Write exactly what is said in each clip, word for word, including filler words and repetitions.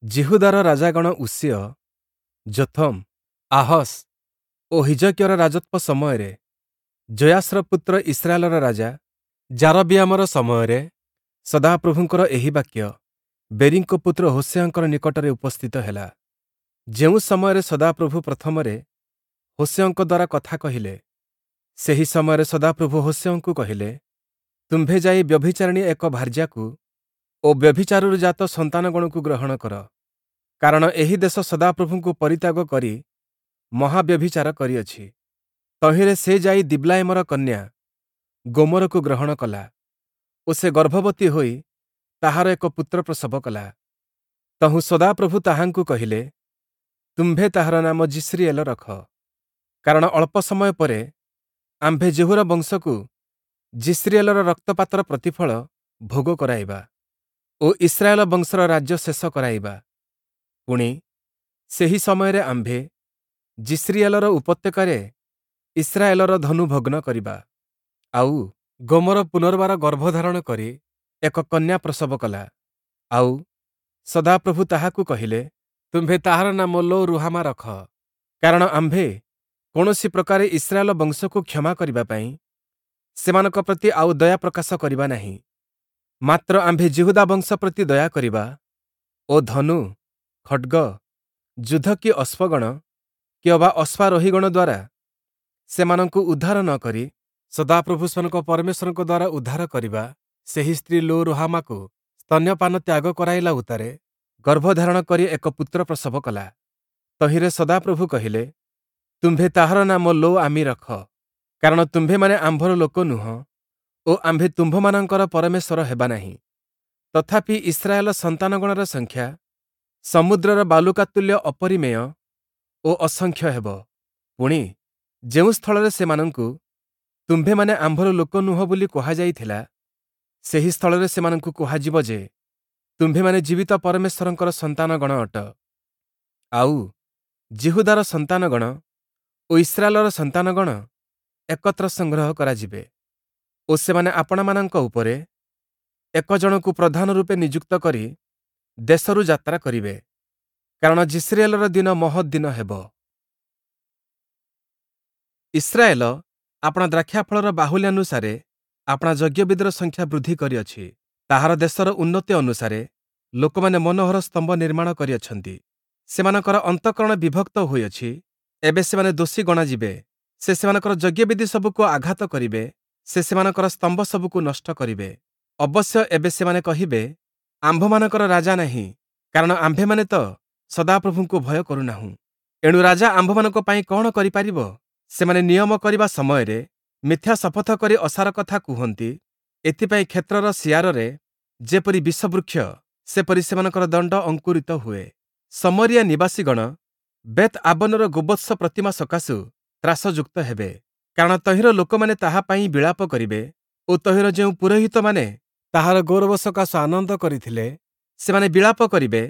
ଯିହୁଦାର ରାଜାଗଣ ଉଷିୟ, ଯୋଥମ୍, ଆହସ୍ ଓ ହିଜକିୟର ରାଜତ୍ୱ ସମୟରେ ଯୋୟାଶର ପୁତ୍ର ଇସ୍ରାଏଲର ରାଜା ଯାରବିୟାମର ସମୟରେ ସଦାପ୍ରଭୁଙ୍କର ଏହି ବାକ୍ୟ ବେରୀଙ୍କ ପୁତ୍ର ହୋଶେୟଙ୍କର ନିକଟରେ ଉପସ୍ଥିତ ହେଲା। ଯେଉଁ ସମୟରେ ସଦାପ୍ରଭୁ ପ୍ରଥମରେ ହୋଶେୟଙ୍କ ଦ୍ୱାରା କଥା କହିଲେ, ସେହି ସମୟରେ ସଦାପ୍ରଭୁ ହୋଶେୟଙ୍କୁ କହିଲେ, ତୁମ୍ଭେ ଯାଇ ବ୍ୟଭିଚାରିଣୀ ଏକ ଭାର୍ଯ୍ୟାକୁ ଓ ବ୍ୟଭିଚାରରୁ ଜାତ ସନ୍ତାନଗଣକୁ ଗ୍ରହଣ କର, କାରଣ ଏହି ଦେଶ ସଦାପ୍ରଭୁଙ୍କୁ ପରିତ୍ୟାଗ କରି ମହାବ୍ୟଭିଚାର କରିଅଛି। ତହିଁରେ ସେ ଯାଇ ଦିବ୍ଲାୟିମର କନ୍ୟା ଗୋମରକୁ ଗ୍ରହଣ କଲା ଓ ସେ ଗର୍ଭବତୀ ହୋଇ ତାହାର ଏକ ପୁତ୍ର ପ୍ରସବ କଲା। ତହୁଁ ସଦାପ୍ରଭୁ ତାହାଙ୍କୁ କହିଲେ, ତୁମ୍ଭେ ତାହାର ନାମ ଯିଷ୍ରିଏଲ ରଖ, କାରଣ ଅଳ୍ପ ସମୟ ପରେ ଆମ୍ଭେ ଯେହୂର ବଂଶକୁ ଯିଷ୍ରିଏଲର ରକ୍ତପାତର ପ୍ରତିଫଳ ଭୋଗ କରାଇବା ଓ ଇସ୍ରାଏଲ ବଂଶର ରାଜ୍ୟ ଶେଷ କରାଇବା। ପୁଣି ସେହି ସମୟରେ ଆମ୍ଭେ ଯିଷ୍ରିଏଲର ଉପତ୍ୟକାରେ ଇସ୍ରାଏଲର ଧନୁ ଭଗ୍ନ କରିବା। ଆଉ ଗୋମର ପୁନର୍ବାର ଗର୍ଭଧାରଣ କରି ଏକ କନ୍ୟା ପ୍ରସବ କଲା। ଆଉ ସଦାପ୍ରଭୁ ତାହାକୁ କହିଲେ, ତୁମ୍ଭେ ତାହାର ନାମ ଲୋ ରୁହାମା ରଖ, କାରଣ ଆମ୍ଭେ କୌଣସି ପ୍ରକାରେ ଇସ୍ରାଏଲ ବଂଶକୁ କ୍ଷମା କରିବା ପାଇଁ ସେମାନଙ୍କ ପ୍ରତି ଆଉ ଦୟା ପ୍ରକାଶ କରିବା ନାହିଁ। ମାତ୍ର ଆମ୍ଭେ ଯିହୁଦା ବଂଶ ପ୍ରତି ଦୟା କରିବା ଓ ଧନୁ, ଖଡ଼୍ଗ, ଯୁଦ୍ଧ କି ଅଶ୍ୱଗଣ କି ଅବା ଅଶ୍ୱାରୋହୀଗଣ ଦ୍ୱାରା ସେମାନଙ୍କୁ ଉଦ୍ଧାର ନ କରି ସଦାପ୍ରଭୁ ସେମାନଙ୍କ ପରମେଶ୍ୱରଙ୍କ ଦ୍ୱାରା ଉଦ୍ଧାର କରିବା। ସେହି ସ୍ତ୍ରୀ ଲୋ ରୁହାମାକୁ ସ୍ତନ୍ୟପାନ ତ୍ୟାଗ କରାଇଲା ଉତ୍ତାରେ ଗର୍ଭଧାରଣ କରି ଏକ ପୁତ୍ର ପ୍ରସବ କଲା। ତହିଁରେ ସଦାପ୍ରଭୁ କହିଲେ, ତୁମ୍ଭେ ତାହାର ନାମ ଲୋ ଆମି ରଖ, କାରଣ ତୁମ୍ଭେମାନେ ଆମ୍ଭର ଲୋକ ନୁହଁ ଓ ଆମ୍ଭେ ତୁମ୍ଭମାନଙ୍କର ପରମେଶ୍ୱର ହେବା ନାହିଁ। ତଥାପି ଇସ୍ରାଏଲ ସନ୍ତାନଗଣର ସଂଖ୍ୟା ସମୁଦ୍ରର ବାଲୁକା ତୁଲ୍ୟ ଅପରିମେୟ ଓ ଅସଂଖ୍ୟ ହେବ। ପୁଣି ଯେଉଁ ସ୍ଥଳରେ ସେମାନଙ୍କୁ ତୁମ୍ଭେମାନେ ଆମ୍ଭର ଲୋକ ନୁହଁ ବୋଲି କୁହାଯାଇଥିଲା, ସେହି ସ୍ଥଳରେ ସେମାନଙ୍କୁ କୁହାଯିବ ଯେ, ତୁମ୍ଭେମାନେ ଜୀବିତ ପରମେଶ୍ୱରଙ୍କର ସନ୍ତାନଗଣ ଅଟ। ଆଉ ଯିହୁଦାର ସନ୍ତାନଗଣ ଓ ଇସ୍ରାଏଲର ସନ୍ତାନଗଣ ଏକତ୍ର ସଂଗ୍ରହ କରାଯିବେ ଓ ସେମାନେ ଆପଣାମାନଙ୍କ ଉପରେ ଏକ ଜଣକୁ ପ୍ରଧାନ ରୂପେ ନିଯୁକ୍ତ କରି ଦେଶରୁ ଯାତ୍ରା କରିବେ, କାରଣ ଯିଷ୍ରିଏଲର ଦିନ ମହତ୍ ଦିନ ହେବ। ଇସ୍ରାଏଲ ଆପଣା ଦ୍ରାକ୍ଷାଫଳର ବାହୁଲ୍ୟାନୁସାରେ ଆପଣା ଯଜ୍ଞବେଦିର ସଂଖ୍ୟା ବୃଦ୍ଧି କରିଅଛି। ତାହାର ଦେଶର ଉନ୍ନତି ଅନୁସାରେ ଲୋକମାନେ ମନୋହର ସ୍ତମ୍ଭ ନିର୍ମାଣ କରିଅଛନ୍ତି। ସେମାନଙ୍କର ଅନ୍ତଃକରଣ ବିଭକ୍ତ ହୋଇଅଛି, ଏବେ ସେମାନେ ଦୋଷୀ ଗଣାଯିବେ। ସେ ସେମାନଙ୍କର ଯଜ୍ଞବେଦି ସବୁକୁ ଆଘାତ କରିବେ, ସେ ସେମାନଙ୍କର ସ୍ତମ୍ଭ ସବୁକୁ ନଷ୍ଟ କରିବେ। ଅବଶ୍ୟ ଏବେ ସେମାନେ କହିବେ, ଆମ୍ଭମାନଙ୍କର ରାଜା ନାହିଁ, କାରଣ ଆମ୍ଭେମାନେ ତ ସଦାପ୍ରଭୁଙ୍କୁ ଭୟ କରୁନାହୁଁ। ଏଣୁ ରାଜା ଆମ୍ଭମାନଙ୍କ ପାଇଁ କଣ କରିପାରିବ? ସେମାନେ ନିୟମ କରିବା ସମୟରେ ମିଥ୍ୟା ଶପଥ କରି ଅସାର କଥା କୁହନ୍ତି। ଏଥିପାଇଁ କ୍ଷେତ୍ରର ଶିଆରରେ ଯେପରି ବିଷବୃକ୍ଷ, ସେପରି ସେମାନଙ୍କର ଦଣ୍ଡ ଅଙ୍କୁରିତ ହୁଏ। ଶମରିୟା ନିବାସୀଗଣ ବେତ୍ ଆବନର ଗୋବତ୍ସ ପ୍ରତିମା ସକାଶୁ ତ୍ରାସଯୁକ୍ତ ହେବେ, କାରଣ ତହିଁର ଲୋକମାନେ ତାହା ପାଇଁ ବିଳାପ କରିବେ ଓ ତହିଁର ଯେଉଁ ପୁରୋହିତମାନେ ତାହାର ଗୌରବ ସକାଶୁ ଆନନ୍ଦ କରିଥିଲେ, ସେମାନେ ବିଳାପ କରିବେ,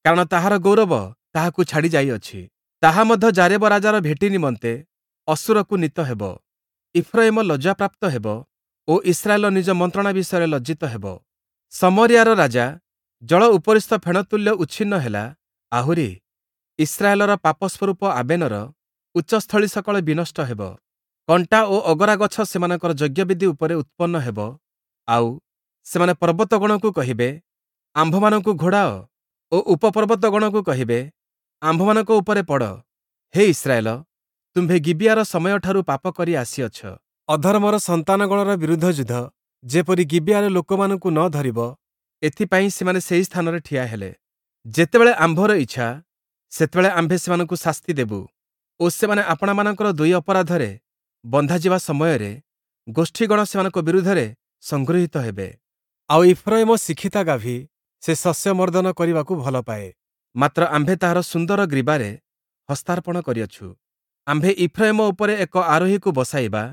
କାରଣ ତାହାର ଗୌରବ ତାହାକୁ ଛାଡ଼ି ଯାଇଅଛି। ତାହା ମଧ୍ୟ ଯାରେବ ରାଜାର ଭେଟି ନିମନ୍ତେ ଅଶୂରକୁ ନୀତ ହେବ। ଇଫ୍ରୟିମ ଲଜ୍ଜାପ୍ରାପ୍ତ ହେବ ଓ ଇସ୍ରାଏଲ ନିଜ ମନ୍ତ୍ରଣା ବିଷୟରେ ଲଜ୍ଜିତ ହେବ। ଶମରିୟାର ରାଜା ଜଳ ଉପରିସ୍ଥ ଫେଣତୁଲ୍ୟ ଉଚ୍ଛିନ୍ନ ହେଲା, ଆହୁରି ଇସ୍ରାଏଲର ପାପସ୍ୱରୂପ ଆବେନର ଉଚ୍ଚସ୍ଥଳୀ ସକଳ ବିନଷ୍ଟ ହେବ। କଣ୍ଟା ଓ ଅଗରା ଗଛ ସେମାନଙ୍କର ଯଜ୍ଞବେଦି ଉପରେ ଉତ୍ପନ୍ନ ହେବ, ଆଉ ସେମାନେ ପର୍ବତଗଣକୁ କହିବେ, ଆମ୍ଭମାନଙ୍କୁ ଘୋଡ଼ାଅ ଓ ଉପପର୍ବତଗଣକୁ କହିବେ, ଆମ୍ଭମାନଙ୍କ ଉପରେ ପଡ଼। ହେ ଇସ୍ରାଏଲ, ତୁମ୍ଭେ ଗିବିୟାର ସମୟଠାରୁ ପାପ କରି ଆସିଅଛ। ଅଧର୍ମର ସନ୍ତାନଗଣର ବିରୁଦ୍ଧ ଯୁଦ୍ଧ ଯେପରି ଗିବିୟାର ଲୋକମାନଙ୍କୁ ନ ଧରିବ, ଏଥିପାଇଁ ସେମାନେ ସେହି ସ୍ଥାନରେ ଠିଆ ହେଲେ। ଯେତେବେଳେ ଆମ୍ଭର ଇଚ୍ଛା, ସେତେବେଳେ ଆମ୍ଭେ ସେମାନଙ୍କୁ ଶାସ୍ତି ଦେବୁ ଓ ସେମାନେ ଆପଣାମାନଙ୍କର ଦୁଇ ଅପରାଧରେ ବନ୍ଧାଯିବା ସମୟରେ ଗୋଷ୍ଠୀଗଣ ସେମାନଙ୍କ ବିରୁଦ୍ଧରେ ସଂଗୃହୀତ ହେବେ। ଆଉ ଇଫ୍ରୟିମ ଶିକ୍ଷିତା ଗାଭୀ, ସେ ଶସ୍ୟ ମର୍ଦ୍ଦନ କରିବାକୁ ଭଲ ପାଏ, ମାତ୍ର ଆମ୍ଭେ ତାହାର ସୁନ୍ଦର ଗ୍ରୀବାରେ ହସ୍ତାର୍ପଣ କରିଅଛୁ। ଆମ୍ଭେ ଇଫ୍ରୟିମ ଉପରେ ଏକ ଆରୋହୀକୁ ବସାଇବା,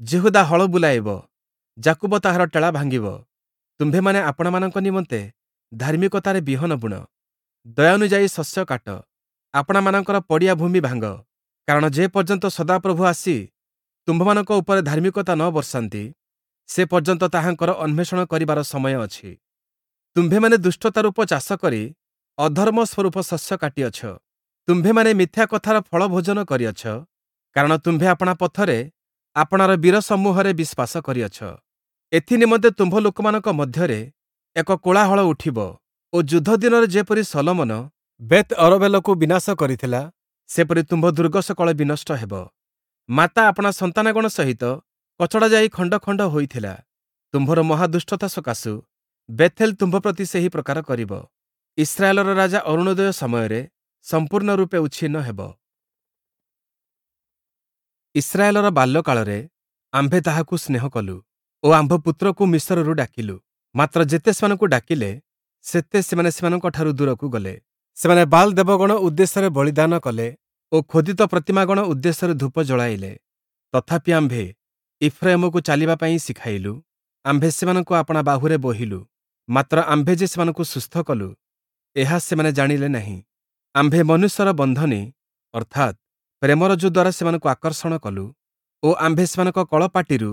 ଯିହୁଦା ହଳ ବୁଲାଇବ, ଯାକୁବ ତାହାର ଟେଳା ଭାଙ୍ଗିବ। ତୁମ୍ଭେମାନେ ଆପଣାମାନଙ୍କ ନିମନ୍ତେ ଧାର୍ମିକତାରେ ବିହନ ବୁଣ, ଦୟାନୁଯାୟୀ ଶସ୍ୟ କାଟ, ଆପଣାମାନଙ୍କର ପଡ଼ିଆ ଭୂମି ଭାଙ୍ଗ, କାରଣ ଯେ ପର୍ଯ୍ୟନ୍ତ ସଦାପ୍ରଭୁ ଆସି ତୁମ୍ଭମାନଙ୍କ ଉପରେ ଧାର୍ମିକତା ନ ବର୍ଷାନ୍ତି, ସେ ପର୍ଯ୍ୟନ୍ତ ତାହାଙ୍କର ଅନ୍ୱେଷଣ କରିବାର ସମୟ ଅଛି। ତୁମ୍ଭେମାନେ ଦୁଷ୍ଟତା ରୂପ ଚାଷ କରି ଅଧର୍ମ ସ୍ୱରୂପ ଶସ୍ୟ କାଟିଅଛ। ତୁମ୍ଭେମାନେ ମିଥ୍ୟା କଥାର ଫଳ ଭୋଜନ କରିଅଛ, କାରଣ ତୁମ୍ଭେ ଆପଣା ପଥରେ ଆପଣାର ବୀରସମୂହରେ ବିଶ୍ୱାସ କରିଅଛ। ଏଥି ନିମନ୍ତେ ତୁମ୍ଭ ଲୋକମାନଙ୍କ ମଧ୍ୟରେ ଏକ କୋଳାହଳ ଉଠିବ ଓ ଯୁଦ୍ଧ ଦିନରେ ଯେପରି ଶଲୋମନ ବେଥ୍ ଅରବେଲକୁ ବିନାଶ କରିଥିଲା, ସେପରି ତୁମ୍ଭ ଦୁର୍ଗ ସକଳ ବିନଷ୍ଟ ହେବ। ମାତା ଆପଣା ସନ୍ତାନଗଣ ସହିତ କଚଡ଼ା ଯାଇ ଖଣ୍ଡ ଖଣ୍ଡ ହୋଇଥିଲା, ତୁମ୍ଭର ମହାଦୁଷ୍ଟତା ସକାଶୁ ବେଥେଲ ତୁମ୍ଭ ପ୍ରତି ସେହି ପ୍ରକାର କରିବ। ଇସ୍ରାଏଲର ରାଜା ଅରୁଣୋଦୟ ସମୟରେ ସମ୍ପୂର୍ଣ୍ଣ ରୂପେ ଉଚ୍ଛିନ୍ନ ହେବ। ଇସ୍ରାଏଲର ବାଲ୍ୟକାଳରେ ଆମ୍ଭେ ତାହାକୁ ସ୍ନେହ କଲୁ ଓ ଆମ୍ଭ ପୁତ୍ରକୁ ମିଶରରୁ ଡାକିଲୁ। ମାତ୍ର ଯେତେ ସେମାନଙ୍କୁ ଡାକିଲେ, ସେତେ ସେମାନେ ସେମାନଙ୍କଠାରୁ ଦୂରକୁ ଗଲେ। ସେମାନେ ବାଲ୍ ଦେବଗଣ ଉଦ୍ଦେଶ୍ୟରେ ବଳିଦାନ କଲେ ଓ ଖୋଦିତ ପ୍ରତିମାଗଣ ଉଦ୍ଦେଶ୍ୟରେ ଧୂପ ଜଳାଇଲେ। ତଥାପି ଆମ୍ଭେ ଇଫ୍ରାଇମକୁ ଚାଲିବା ପାଇଁ ଶିଖାଇଲୁ, ଆମ୍ଭେ ସେମାନଙ୍କୁ ଆପଣା ବାହୁରେ ବୋହିଲୁ। ମାତ୍ର ଆମ୍ଭେ ଯେ ସେମାନଙ୍କୁ ସୁସ୍ଥ କଲୁ, ଏହା ସେମାନେ ଜାଣିଲେ ନାହିଁ। ଆମ୍ଭେ ମନୁଷ୍ୟର ବନ୍ଧନୀ ଅର୍ଥାତ୍ ପ୍ରେମରଜ୍ଜୁ ଦ୍ୱାରା ସେମାନଙ୍କୁ ଆକର୍ଷଣ କଲୁ ଓ ଆମ୍ଭେ ସେମାନଙ୍କ କଳପାଟିରୁ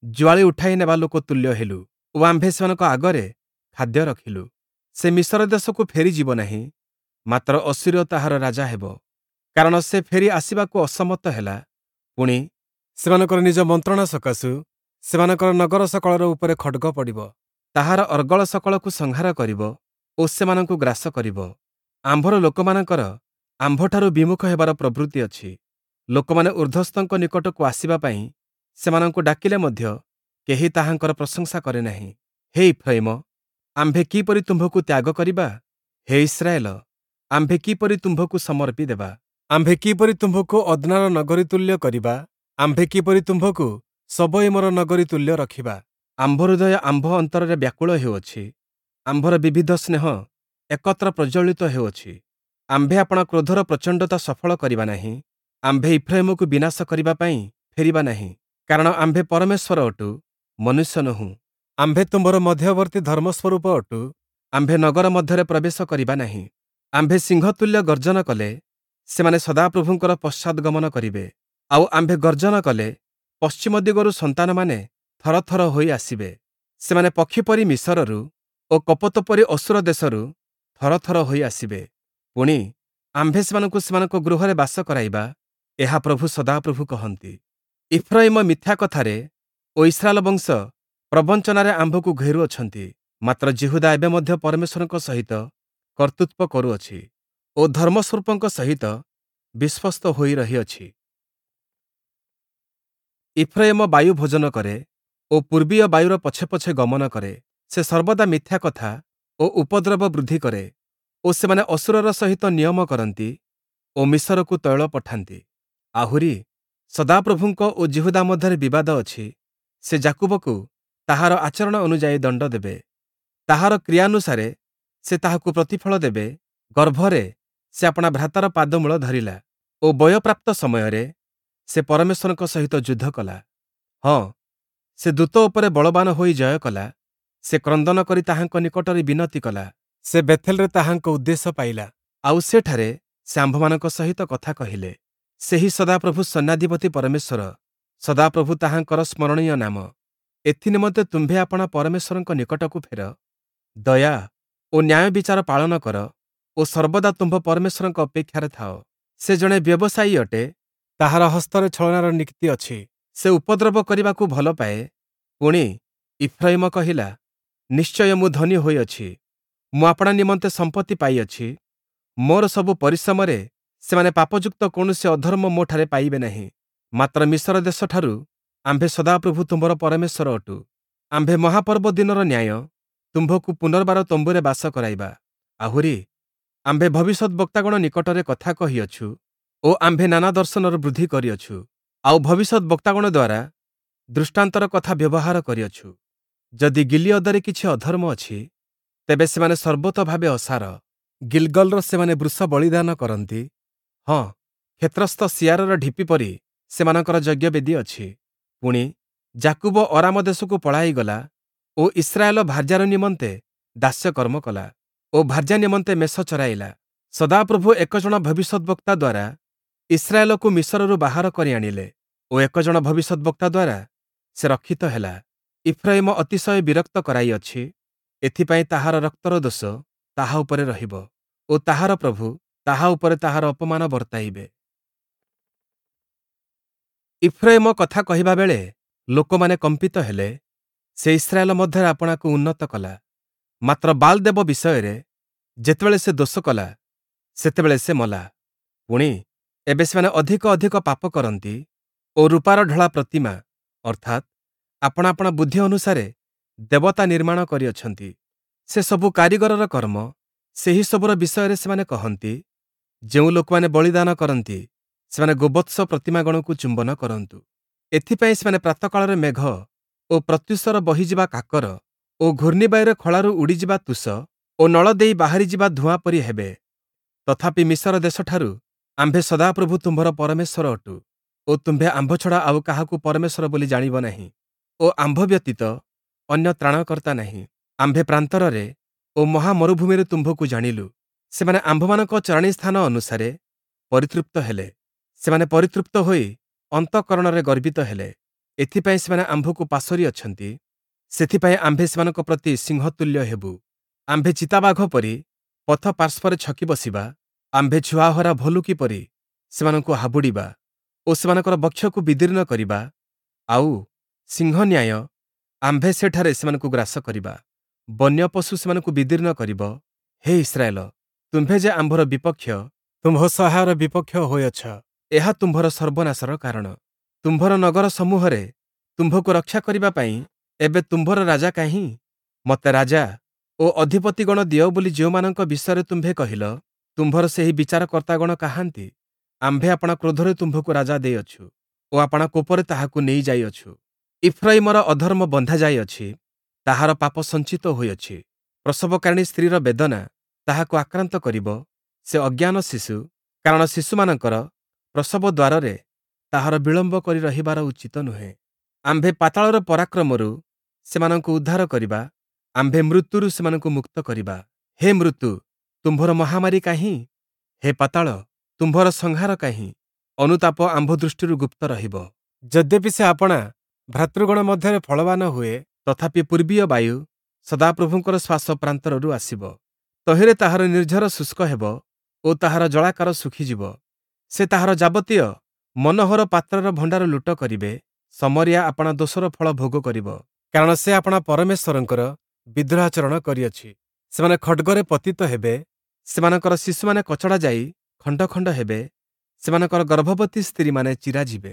ଜୁଆଳି ଉଠାଇ ନେବା ଲୋକ ତୁଲ୍ୟ ହେଲୁ ଓ ଆମ୍ଭେ ସେମାନଙ୍କ ଆଗରେ ଖାଦ୍ୟ ରଖିଲୁ। ସେ ମିଶର ଦେଶକୁ ଫେରିଯିବ ନାହିଁ, ମାତ୍ର ଅଶୂରୀୟ ତାହାର ରାଜା ହେବ, କାରଣ ସେ ଫେରି ଆସିବାକୁ ଅସମ୍ମତ ହେଲା। ପୁଣି ସେମାନଙ୍କର ନିଜ ମନ୍ତ୍ରଣା ସକାଶୁ ସେମାନଙ୍କର ନଗର ସକଳର ଉପରେ ଖଡ଼୍ଗ ପଡ଼ିବ, ତାହାର ଅର୍ଗଳ ସକଳକୁ ସଂହାର କରିବ ଓ ସେମାନଙ୍କୁ ଗ୍ରାସ କରିବ। ଆମ୍ଭର ଲୋକମାନଙ୍କର ଆମ୍ଭଠାରୁ ବିମୁଖ ହେବାର ପ୍ରବୃତ୍ତି ଅଛି। ଲୋକମାନେ ଊର୍ଦ୍ଧ୍ୱସ୍ଥଙ୍କ ନିକଟକୁ ଆସିବା ପାଇଁ ସେମାନଙ୍କୁ ଡାକିଲେ ମଧ୍ୟ କେହି ତାହାଙ୍କର ପ୍ରଶଂସା କରେ ନାହିଁ। ହେ ଇଫ୍ରାଇମ, ଆମ୍ଭେ କିପରି ତୁମ୍ଭକୁ ତ୍ୟାଗ କରିବା? ହେ ଇସ୍ରାଏଲ, ଆମ୍ଭେ କିପରି ତୁମ୍ଭକୁ ସମର୍ପି ଦେବା? ଆମ୍ଭେ କିପରି ତୁମ୍ଭକୁ ଅଦ୍ନାର ନଗରୀ ତୁଲ୍ୟ କରିବା? ଆମ୍ଭେ କିପରି ତୁମ୍ଭକୁ ସବୋଇମର ନଗରୀ ତୁଲ୍ୟ ରଖିବା? ଆମ୍ଭ ହୃଦୟ ଆମ୍ଭ ଅନ୍ତରରେ ବ୍ୟାକୁଳ ହେଉଅଛି, ଆମ୍ଭର ବିବିଧ ସ୍ନେହ ଏକତ୍ର ପ୍ରଜ୍ୱଳିତ ହେଉଅଛି। ଆମ୍ଭେ ଆପଣା କ୍ରୋଧର ପ୍ରଚଣ୍ଡତା ସଫଳ କରିବା ନାହିଁ, ଆମ୍ଭେ ଇଫ୍ରାଇମକୁ ବିନାଶ କରିବା ପାଇଁ ଫେରିବା ନାହିଁ, କାରଣ ଆମ୍ଭେ ପରମେଶ୍ୱର ଅଟୁ, ମନୁଷ୍ୟ ନୋହୁଁ। ଆମ୍ଭେ ତୁମ୍ଭର ମଧ୍ୟବର୍ତ୍ତୀ ଧର୍ମସ୍ୱରୂପ ଅଟୁ, ଆମ୍ଭେ ନଗର ମଧ୍ୟରେ ପ୍ରବେଶ କରିବା ନାହିଁ। ଆମ୍ଭେ ସିଂହ ତୁଲ୍ୟ ଗର୍ଜନ କଲେ ସେମାନେ ସଦାପ୍ରଭୁଙ୍କର ପଶ୍ଚାଦ୍‌ଗମନ କରିବେ, ଆଉ ଆମ୍ଭେ ଗର୍ଜନ କଲେ ପଶ୍ଚିମ ଦିଗରୁ ସନ୍ତାନମାନେ ଥରଥର ହୋଇ ଆସିବେ। ସେମାନେ ପକ୍ଷୀ ପରି ମିଶରରୁ ଓ କପୋତ ପରି ଅଶୂର ଦେଶରୁ ଥରଥର ହୋଇ ଆସିବେ। ପୁଣି ଆମ୍ଭେ ସେମାନଙ୍କୁ ସେମାନଙ୍କ ଗୃହରେ ବାସ କରାଇବା, ଏହା ପ୍ରଭୁ ସଦାପ୍ରଭୁ କହନ୍ତି। ଇଫ୍ରାଇମ ମିଥ୍ୟା କଥାରେ ଓ ଇସ୍ରାଏଲ ବଂଶ ପ୍ରବଞ୍ଚନାରେ ଆମ୍ଭକୁ ଘେରୁଅଛନ୍ତି, ମାତ୍ର ଯିହୁଦା ଏବେ ମଧ୍ୟ ପରମେଶ୍ୱରଙ୍କ ସହିତ କର୍ତ୍ତୃତ୍ୱ କରୁଅଛି ଓ ଧର୍ମସ୍ୱରୂପଙ୍କ ସହିତ ବିଶ୍ୱସ୍ତ ହୋଇ ରହିଅଛି। ଇଫ୍ରାଇମ ବାୟୁ ଭୋଜନ କରେ ଓ ପୂର୍ବୀୟ ବାୟୁର ପଛେ ପଛେ ଗମନ କରେ। ସେ ସର୍ବଦା ମିଥ୍ୟା କଥା ଓ ଉପଦ୍ରବ ବୃଦ୍ଧି କରେ ଓ ସେମାନେ ଅଶୂରର ସହିତ ନିୟମ କରନ୍ତି ଓ ମିଶରକୁ ତୈଳ ପଠାନ୍ତି। ଆହୁରି ସଦାପ୍ରଭୁଙ୍କ ଓ ଯିହୁଦା ମଧ୍ୟରେ ବିବାଦ ଅଛି। ସେ ଯାକୁବକୁ ତାହାର ଆଚରଣ ଅନୁଯାୟୀ ଦଣ୍ଡ ଦେବେ, ତାହାର କ୍ରିୟାନୁସାରେ ସେ ତାହାକୁ ପ୍ରତିଫଳ ଦେବେ। ଗର୍ଭରେ ସେ ଆପଣା ଭ୍ରାତାର ପାଦମୂଳ ଧରିଲା ଓ ବୟପ୍ରାପ୍ତ ସମୟରେ ସେ ପରମେଶ୍ୱରଙ୍କ ସହିତ ଯୁଦ୍ଧ କଲା। ହଁ, ସେ ଦୂତ ଉପରେ ବଳବାନ ହୋଇ ଜୟ କଲା। ସେ କ୍ରନ୍ଦନ କରି ତାହାଙ୍କ ନିକଟରେ ବିନତି କଲା। ସେ ବେଥେଲରେ ତାହାଙ୍କ ଉଦ୍ଦେଶ୍ୟ ପାଇଲା, ଆଉ ସେଠାରେ ସେ ଆମ୍ଭମାନଙ୍କ ସହିତ କଥା କହିଲେ। ସେହି ସଦାପ୍ରଭୁ ସୈନ୍ୟାଧିପତି ପରମେଶ୍ୱର, ସଦାପ୍ରଭୁ ତାହାଙ୍କର ସ୍ମରଣୀୟ ନାମ। ଏଥି ନିମନ୍ତେ ତୁମ୍ଭେ ଆପଣା ପରମେଶ୍ୱରଙ୍କ ନିକଟକୁ ଫେର, ଦୟା ଓ ନ୍ୟାୟ ବିଚାର ପାଳନ କର ଓ ସର୍ବଦା ତୁମ୍ଭ ପରମେଶ୍ୱରଙ୍କ ଅପେକ୍ଷାରେ ଥାଅ। ସେ ଜଣେ ବ୍ୟବସାୟୀ ଅଟେ, ତାହାର ହସ୍ତରେ ଛଳନାର ନୀତି ଅଛି। ସେ ଉପଦ୍ରବ କରିବାକୁ ଭଲ ପାଏ। ପୁଣି ଇଫ୍ରାଇମ କହିଲା, ନିଶ୍ଚୟ ମୁଁ ଧନୀ ହୋଇଅଛି, ମୁଁ ଆପଣା ନିମନ୍ତେ ସମ୍ପତ୍ତି ପାଇଅଛି। ମୋର ସବୁ ପରିଶ୍ରମରେ ସେମାନେ ପାପଯୁକ୍ତ କୌଣସି ଅଧର୍ମ ମୋଠାରେ ପାଇବେ ନାହିଁ। ମାତ୍ର ମିଶର ଦେଶଠାରୁ ଆମ୍ଭେ ସଦାପ୍ରଭୁ ତୁମ୍ଭର ପରମେଶ୍ୱର ଅଟୁ। ଆମ୍ଭେ ମହାପର୍ବ ଦିନର ନ୍ୟାୟ ତୁମ୍ଭକୁ ପୁନର୍ବାର ତମ୍ବୁରେ ବାସ କରାଇବା। ଆହୁରି ଆମ୍ଭେ ଭବିଷ୍ୟଦ୍‌ବକ୍ତାଗଣ ନିକଟରେ କଥା କହିଅଛୁ ଓ ଆମ୍ଭେ ନାନା ଦର୍ଶନର ବୃଦ୍ଧି କରିଅଛୁ, ଆଉ ଭବିଷ୍ୟଦ୍‌ବକ୍ତାଗଣ ଦ୍ୱାରା ଦୃଷ୍ଟାନ୍ତର କଥା ବ୍ୟବହାର କରିଅଛୁ। ଯଦି ଗିଲିୟଦରେ କିଛି ଅଧର୍ମ ଅଛି, ତେବେ ସେମାନେ ସର୍ବତୋଭାବେ ଅସାର। ଗିଲ୍‌ଗଲ୍‌ର ସେମାନେ ବୃଷ ବଳିଦାନ କରନ୍ତି, ହଁ, କ୍ଷେତ୍ରସ୍ଥ ଶିଆରର ଢିପି ପରି ସେମାନଙ୍କର ଯଜ୍ଞବେଦି ଅଛି। ପୁଣି ଯାକୁବ ଅରାମ ଦେଶକୁ ପଳାଇଗଲା ଓ ଇସ୍ରାଏଲ ଭାର୍ଯ୍ୟାର ନିମନ୍ତେ ଦାସ୍ୟକର୍ମ କଲା ଓ ଭାର୍ଯ୍ୟା ନିମନ୍ତେ ମେଷ ଚରାଇଲା। ସଦାପ୍ରଭୁ ଏକ ଜଣ ଭବିଷ୍ୟଦ୍‌ବକ୍ତା ଦ୍ୱାରା ଇସ୍ରାଏଲକୁ ମିଶରରୁ ବାହାର କରି ଆଣିଲେ ଓ ଏକ ଜଣ ଭବିଷ୍ୟଦ୍‌ବକ୍ତା ଦ୍ୱାରା ସେ ରକ୍ଷିତ ହେଲା। ଇଫ୍ରାଇମ ଅତିଶୟ ବିରକ୍ତ କରାଇଅଛି, ଏଥିପାଇଁ ତାହାର ରକ୍ତର ଦୋଷ ତାହା ଉପରେ ରହିବ। ଓ ତାହାର ପ୍ରଭୁ ତାହା ଉପରେ ତାହାର ଅପମାନ ବର୍ତ୍ତାଇବେ। ଇଫ୍ରୟିମ କଥା କହିବା ବେଳେ ଲୋକମାନେ କମ୍ପିତ ହେଲେ, ସେ ଇସ୍ରାଏଲ ମଧ୍ୟରେ ଆପଣାକୁ ଉନ୍ନତ କଲା। ମାତ୍ର ବାଲ୍‌ଦେବ ବିଷୟରେ ଯେତେବେଳେ ସେ ଦୋଷ କଲା, ସେତେବେଳେ ସେ ମଲା। ପୁଣି, ଏବେ ସେମାନେ ଅଧିକ ଅଧିକ ପାପ କରନ୍ତି ଓ ରୂପାର ଢଳା ପ୍ରତିମା, ଅର୍ଥାତ୍ ଆପଣା ଆପଣା ବୁଦ୍ଧି ଅନୁସାରେ ଦେବତା ନିର୍ମାଣ କରିଅଛନ୍ତି। ସେ ସବୁ କାରିଗରର କର୍ମ, ସେହି ସବୁର ବିଷୟରେ ସେମାନେ କହନ୍ତି, ଯେଉଁ ଲୋକମାନେ ବଳିଦାନ କରନ୍ତି, ସେମାନେ ଗୋବତ୍ସ ପ୍ରତିମାଗଣକୁ ଚୁମ୍ବନ କରନ୍ତୁ। ଏଥିପାଇଁ ସେମାନେ ପ୍ରାତଃକାଳରେ ମେଘ ଓ ପ୍ରତ୍ୟୁଷର ବହିଯିବା କାକର ଓ ଘୂର୍ଣ୍ଣିବାୟୁରେ ଖଳାରୁ ଉଡ଼ିଯିବା ତୁଷ ଓ ନଳ ଦେଇ ବାହାରିଯିବା ଧୂଆଁ ପରି ହେବେ। ତଥାପି ମିଶର ଦେଶଠାରୁ ଆମ୍ଭେ ସଦାପ୍ରଭୁ ତୁମ୍ଭର ପରମେଶ୍ୱର ଅଟୁ ଓ ତୁମ୍ଭେ ଆମ୍ଭ ଛଡ଼ା ଆଉ କାହାକୁ ପରମେଶ୍ୱର ବୋଲି ଜାଣିବ ନାହିଁ ଓ ଆମ୍ଭ ବ୍ୟତୀତ ଅନ୍ୟ ତ୍ରାଣକର୍ତ୍ତା ନାହିଁ। ଆମ୍ଭେ ପ୍ରାନ୍ତରରେ ଓ ମହାମରୁଭୂମିରେ ତୁମ୍ଭକୁ ଜାଣିଲୁ। ସେମାନେ ଆମ୍ଭମାନଙ୍କ ଚରାଣୀ ସ୍ଥାନ ଅନୁସାରେ ପରିତୃପ୍ତ ହେଲେ। ସେମାନେ ପରିତୃପ୍ତ ହୋଇ ଅନ୍ତଃକରଣରେ ଗର୍ବିତ ହେଲେ। ଏଥିପାଇଁ ସେମାନେ ଆମ୍ଭକୁ ପାଶୋରି ଅଛନ୍ତି। ସେଥିପାଇଁ ଆମ୍ଭେ ସେମାନଙ୍କ ପ୍ରତି ସିଂହତୁଲ୍ୟ ହେବୁ। ଆମ୍ଭେ ଚିତାବାଘ ପରି ପଥ ପାର୍ଶ୍ୱରେ ଛକି ବସିବା। ଆମ୍ଭେ ଛୁଆହରା ଭଲ୍ଲୁକି ପରି ସେମାନଙ୍କୁ ହାବୁଡ଼ିବା ଓ ସେମାନଙ୍କର ବକ୍ଷକୁ ବିଦୀର୍ଣ୍ଣ କରିବା। ଆଉ ସିଂହ ନ୍ୟାୟ ଆମ୍ଭେ ସେଠାରେ ସେମାନଙ୍କୁ ଗ୍ରାସ କରିବା। ବନ୍ୟ ପଶୁ ସେମାନଙ୍କୁ ବିଦୀର୍ଣ୍ଣ କରିବ। ହେ ଇସ୍ରାଏଲ, ତୁମ୍ଭେ ଯେ ଆମ୍ଭର ବିପକ୍ଷ, ତୁମ୍ଭ ସହାୟର ବିପକ୍ଷ ହୋଇଅଛ, ଏହା ତୁମ୍ଭର ସର୍ବନାଶର କାରଣ। ତୁମ୍ଭର ନଗର ସମୂହରେ ତୁମ୍ଭକୁ ରକ୍ଷା କରିବା ପାଇଁ ଏବେ ତୁମ୍ଭର ରାଜା କାହିଁ? ମୋତେ ରାଜା ଓ ଅଧିପତିଗଣ ଦିଅ ବୋଲି ଯେଉଁମାନଙ୍କ ବିଷୟରେ ତୁମ୍ଭେ କହିଲ, ତୁମ୍ଭର ସେହି ବିଚାରକର୍ତ୍ତାଗଣ କାହାନ୍ତି? ଆମ୍ଭେ ଆପଣା କ୍ରୋଧରେ ତୁମ୍ଭକୁ ରାଜା ଦେଇଅଛୁ ଓ ଆପଣା କୋପରେ ତାହାକୁ ନେଇଯାଇଅଛୁ। ଇଫ୍ରୟିମର ଅଧର୍ମ ବନ୍ଧା ଯାଇଅଛି, ତାହାର ପାପ ସଞ୍ଚିତ ହୋଇଅଛି। ପ୍ରସବକାରିଣୀ ସ୍ତ୍ରୀର ବେଦନା ତାହାକୁ ଆକ୍ରାନ୍ତ କରିବ। ସେ ଅଜ୍ଞାନ ଶିଶୁ, କାରଣ ଶିଶୁମାନଙ୍କର ପ୍ରସବ ଦ୍ୱାରରେ ତାହାର ବିଳମ୍ବ କରି ରହିବାର ଉଚିତ ନୁହେଁ। ଆମ୍ଭେ ପାତାଳର ପରାକ୍ରମରୁ ସେମାନଙ୍କୁ ଉଦ୍ଧାର କରିବା, ଆମ୍ଭେ ମୃତ୍ୟୁରୁ ସେମାନଙ୍କୁ ମୁକ୍ତ କରିବା। ହେ ମୃତ୍ୟୁ, ତୁମ୍ଭର ମହାମାରୀ କାହିଁ? ହେ ପାତାଳ, ତୁମ୍ଭର ସଂହାର କାହିଁ? ଅନୁତାପ ଆମ୍ଭ ଦୃଷ୍ଟିରୁ ଗୁପ୍ତ ରହିବ। ଯଦ୍ୟପି ସେ ଆପଣା ଭ୍ରାତୃଗଣ ମଧ୍ୟରେ ଫଳବାନ ହୁଏ, ତଥାପି ପୂର୍ବୀୟ ବାୟୁ ସଦାପ୍ରଭୁଙ୍କର ଶ୍ୱାସ ପ୍ରାନ୍ତରରୁ ଆସିବ। ତହିଁରେ ତାହାର ନିର୍ଝର ଶୁଷ୍କ ହେବ ଓ ତାହାର ଜଳାକାର ଶୁଖିଯିବ। ସେ ତାହାର ଯାବତୀୟ ମନୋହର ପାତ୍ରର ଭଣ୍ଡାର ଲୁଟ କରିବେ। ଶମରିୟା ଆପଣା ଦୋଷର ଫଳ ଭୋଗ କରିବ, କାରଣ ସେ ଆପଣା ପରମେଶ୍ୱରଙ୍କର ବିଦ୍ରୋହାଚରଣ କରିଅଛି। ସେମାନେ ଖଡ଼୍ଗରେ ପତିତ ହେବେ, ସେମାନଙ୍କର ଶିଶୁମାନେ କଚଡ଼ା ଯାଇ ଖଣ୍ଡ ଖଣ୍ଡ ହେବେ, ସେମାନଙ୍କର ଗର୍ଭବତୀ ସ୍ତ୍ରୀମାନେ ଚିରାଯିବେ।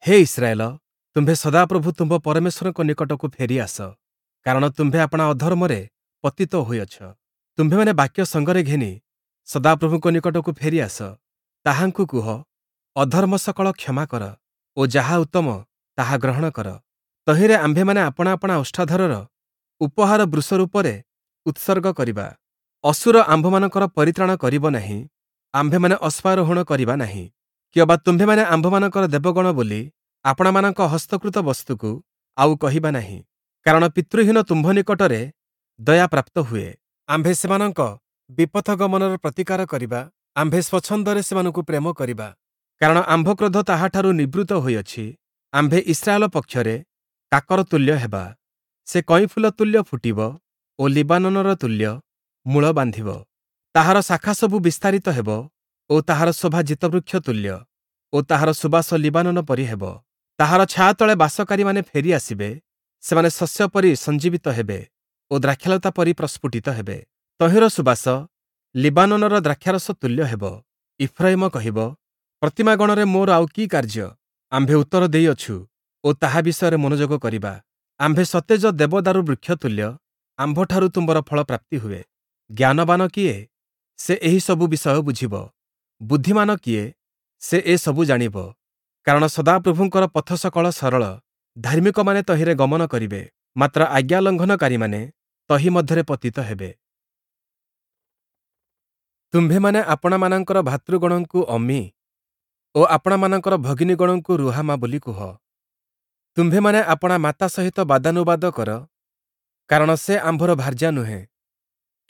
ହେ ଇସ୍ରାଏଲ, ତୁମ୍ଭେ ସଦାପ୍ରଭୁ ତୁମ୍ଭ ପରମେଶ୍ୱରଙ୍କ ନିକଟକୁ ଫେରି ଆସ, କାରଣ ତୁମ୍ଭେ ଆପଣା ଅଧର୍ମରେ ପତିତ ହୋଇଅଛ। ତୁମ୍ଭେମାନେ ବାକ୍ୟ ସଙ୍ଗରେ ଘେନି ସଦାପ୍ରଭୁଙ୍କ ନିକଟକୁ ଫେରି ଆସ। ତାହାଙ୍କୁ କୁହ, ଅଧର୍ମ ସକଳ କ୍ଷମା କର ଓ ଯାହା ଉତ୍ତମ ତାହା ଗ୍ରହଣ କର। ତହିଁରେ ଆମ୍ଭେମାନେ ଆପଣା ଆପଣା ଓଷ୍ଠାଧରର ଉପହାର ବୃଷ ରୂପରେ ଉତ୍ସର୍ଗ କରିବା। ଅଶୂର ଆମ୍ଭମାନଙ୍କର ପରିତ୍ରାଣ କରିବ ନାହିଁ, ଆମ୍ଭେମାନେ ଅଶ୍ୱାରୋହଣ କରିବା ନାହିଁ। କିଅବା ତୁମ୍ଭେମାନେ ଆମ୍ଭମାନଙ୍କର ଦେବଗଣ ବୋଲି ଆପଣାମାନଙ୍କ ହସ୍ତକୃତ ବସ୍ତୁକୁ ଆଉ କହିବା ନାହିଁ। କାରଣ ପିତୃହୀନ ତୁମ୍ଭ ନିକଟରେ ଦୟା ପ୍ରାପ୍ତ ହୁଏ। ଆମ୍ଭେ ସେମାନଙ୍କ ବିପଥଗମନର ପ୍ରତିକାର କରିବା, ଆମ୍ଭେ ସ୍ୱଚ୍ଛନ୍ଦରେ ସେମାନଙ୍କୁ ପ୍ରେମ କରିବା। କାରଣ ଆମ୍ଭ କ୍ରୋଧ ତାହାଠାରୁ ନିବୃତ୍ତ ହୋଇଅଛି। ଆମ୍ଭେ ଇସ୍ରାଏଲ ପକ୍ଷରେ କାକର ତୁଲ୍ୟ ହେବା। ସେ କଇଁଫୁଲ ତୁଲ୍ୟ ଫୁଟିବ ଓ ଲିବାନୋନର ତୁଲ୍ୟ ମୂଳ ବାନ୍ଧିବ। ତାହାର ଶାଖା ସବୁ ବିସ୍ତାରିତ ହେବ ଓ ତାହାର ଶୋଭା ଜିତବୃକ୍ଷ ତୁଲ୍ୟ ଓ ତାହାର ସୁବାସ ଲିବାନୋନ ପରି ହେବ। ତାହାର ଛାୟା ତଳେ ବାସକାରୀମାନେ ଫେରି ଆସିବେ, ସେମାନେ ଶସ୍ୟ ପରି ସଞ୍ଜୀବିତ ହେବେ ଓ ଦ୍ରାକ୍ଷାଲତା ପରି ପ୍ରସ୍ଫୁଟିତ ହେବେ। ତହିଁର ସୁବାସ ଲିବାନୋନର ଦ୍ରାକ୍ଷାରସ ତୁଲ୍ୟ ହେବ। ଇଫ୍ରୟିମ କହିବ, ପ୍ରତିମାଗଣରେ ମୋର ଆଉ କି କାର୍ଯ୍ୟ? ଆମ୍ଭେ ଉତ୍ତର ଦେଇଅଛୁ ଓ ତାହା ବିଷୟରେ ମନୋଯୋଗ କରିବା। ଆମ୍ଭେ ସତେଜ ଦେବଦାରୁ ବୃକ୍ଷ ତୁଲ୍ୟ, ଆମ୍ଭଠାରୁ ତୁମ୍ଭର ଫଳ ପ୍ରାପ୍ତି ହୁଏ। ଜ୍ଞାନବାନ କିଏ? ସେ ଏହି ସବୁ ବିଷୟ ବୁଝିବ। ବୁଦ୍ଧିମାନ କିଏ? ସେ ଏସବୁ ଜାଣିବ। କାରଣ ସଦାପ୍ରଭୁଙ୍କର ପଥ ସକଳ ସରଳ, ଧାର୍ମିକମାନେ ତହିଁରେ ଗମନ କରିବେ, ମାତ୍ର ଆଜ୍ଞା ଲଙ୍ଘନକାରୀମାନେ ତହିଁ ମଧ୍ୟରେ ପତିତ ହେବେ। ତୁମ୍ଭେମାନେ ଆପଣାମାନଙ୍କର ଭାତୃଗଣଙ୍କୁ ଅମ୍ମି ଓ ଆପଣାମାନଙ୍କର ଭଗିନୀଗଣଙ୍କୁ ରୁହାମା ବୋଲି କୁହ। ତୁମ୍ଭେମାନେ ଆପଣା ମାତା ସହିତ ବାଦାନୁବାଦ କର, କାରଣ ସେ ଆମ୍ଭର ଭାର୍ଯ୍ୟା ନୁହେଁ,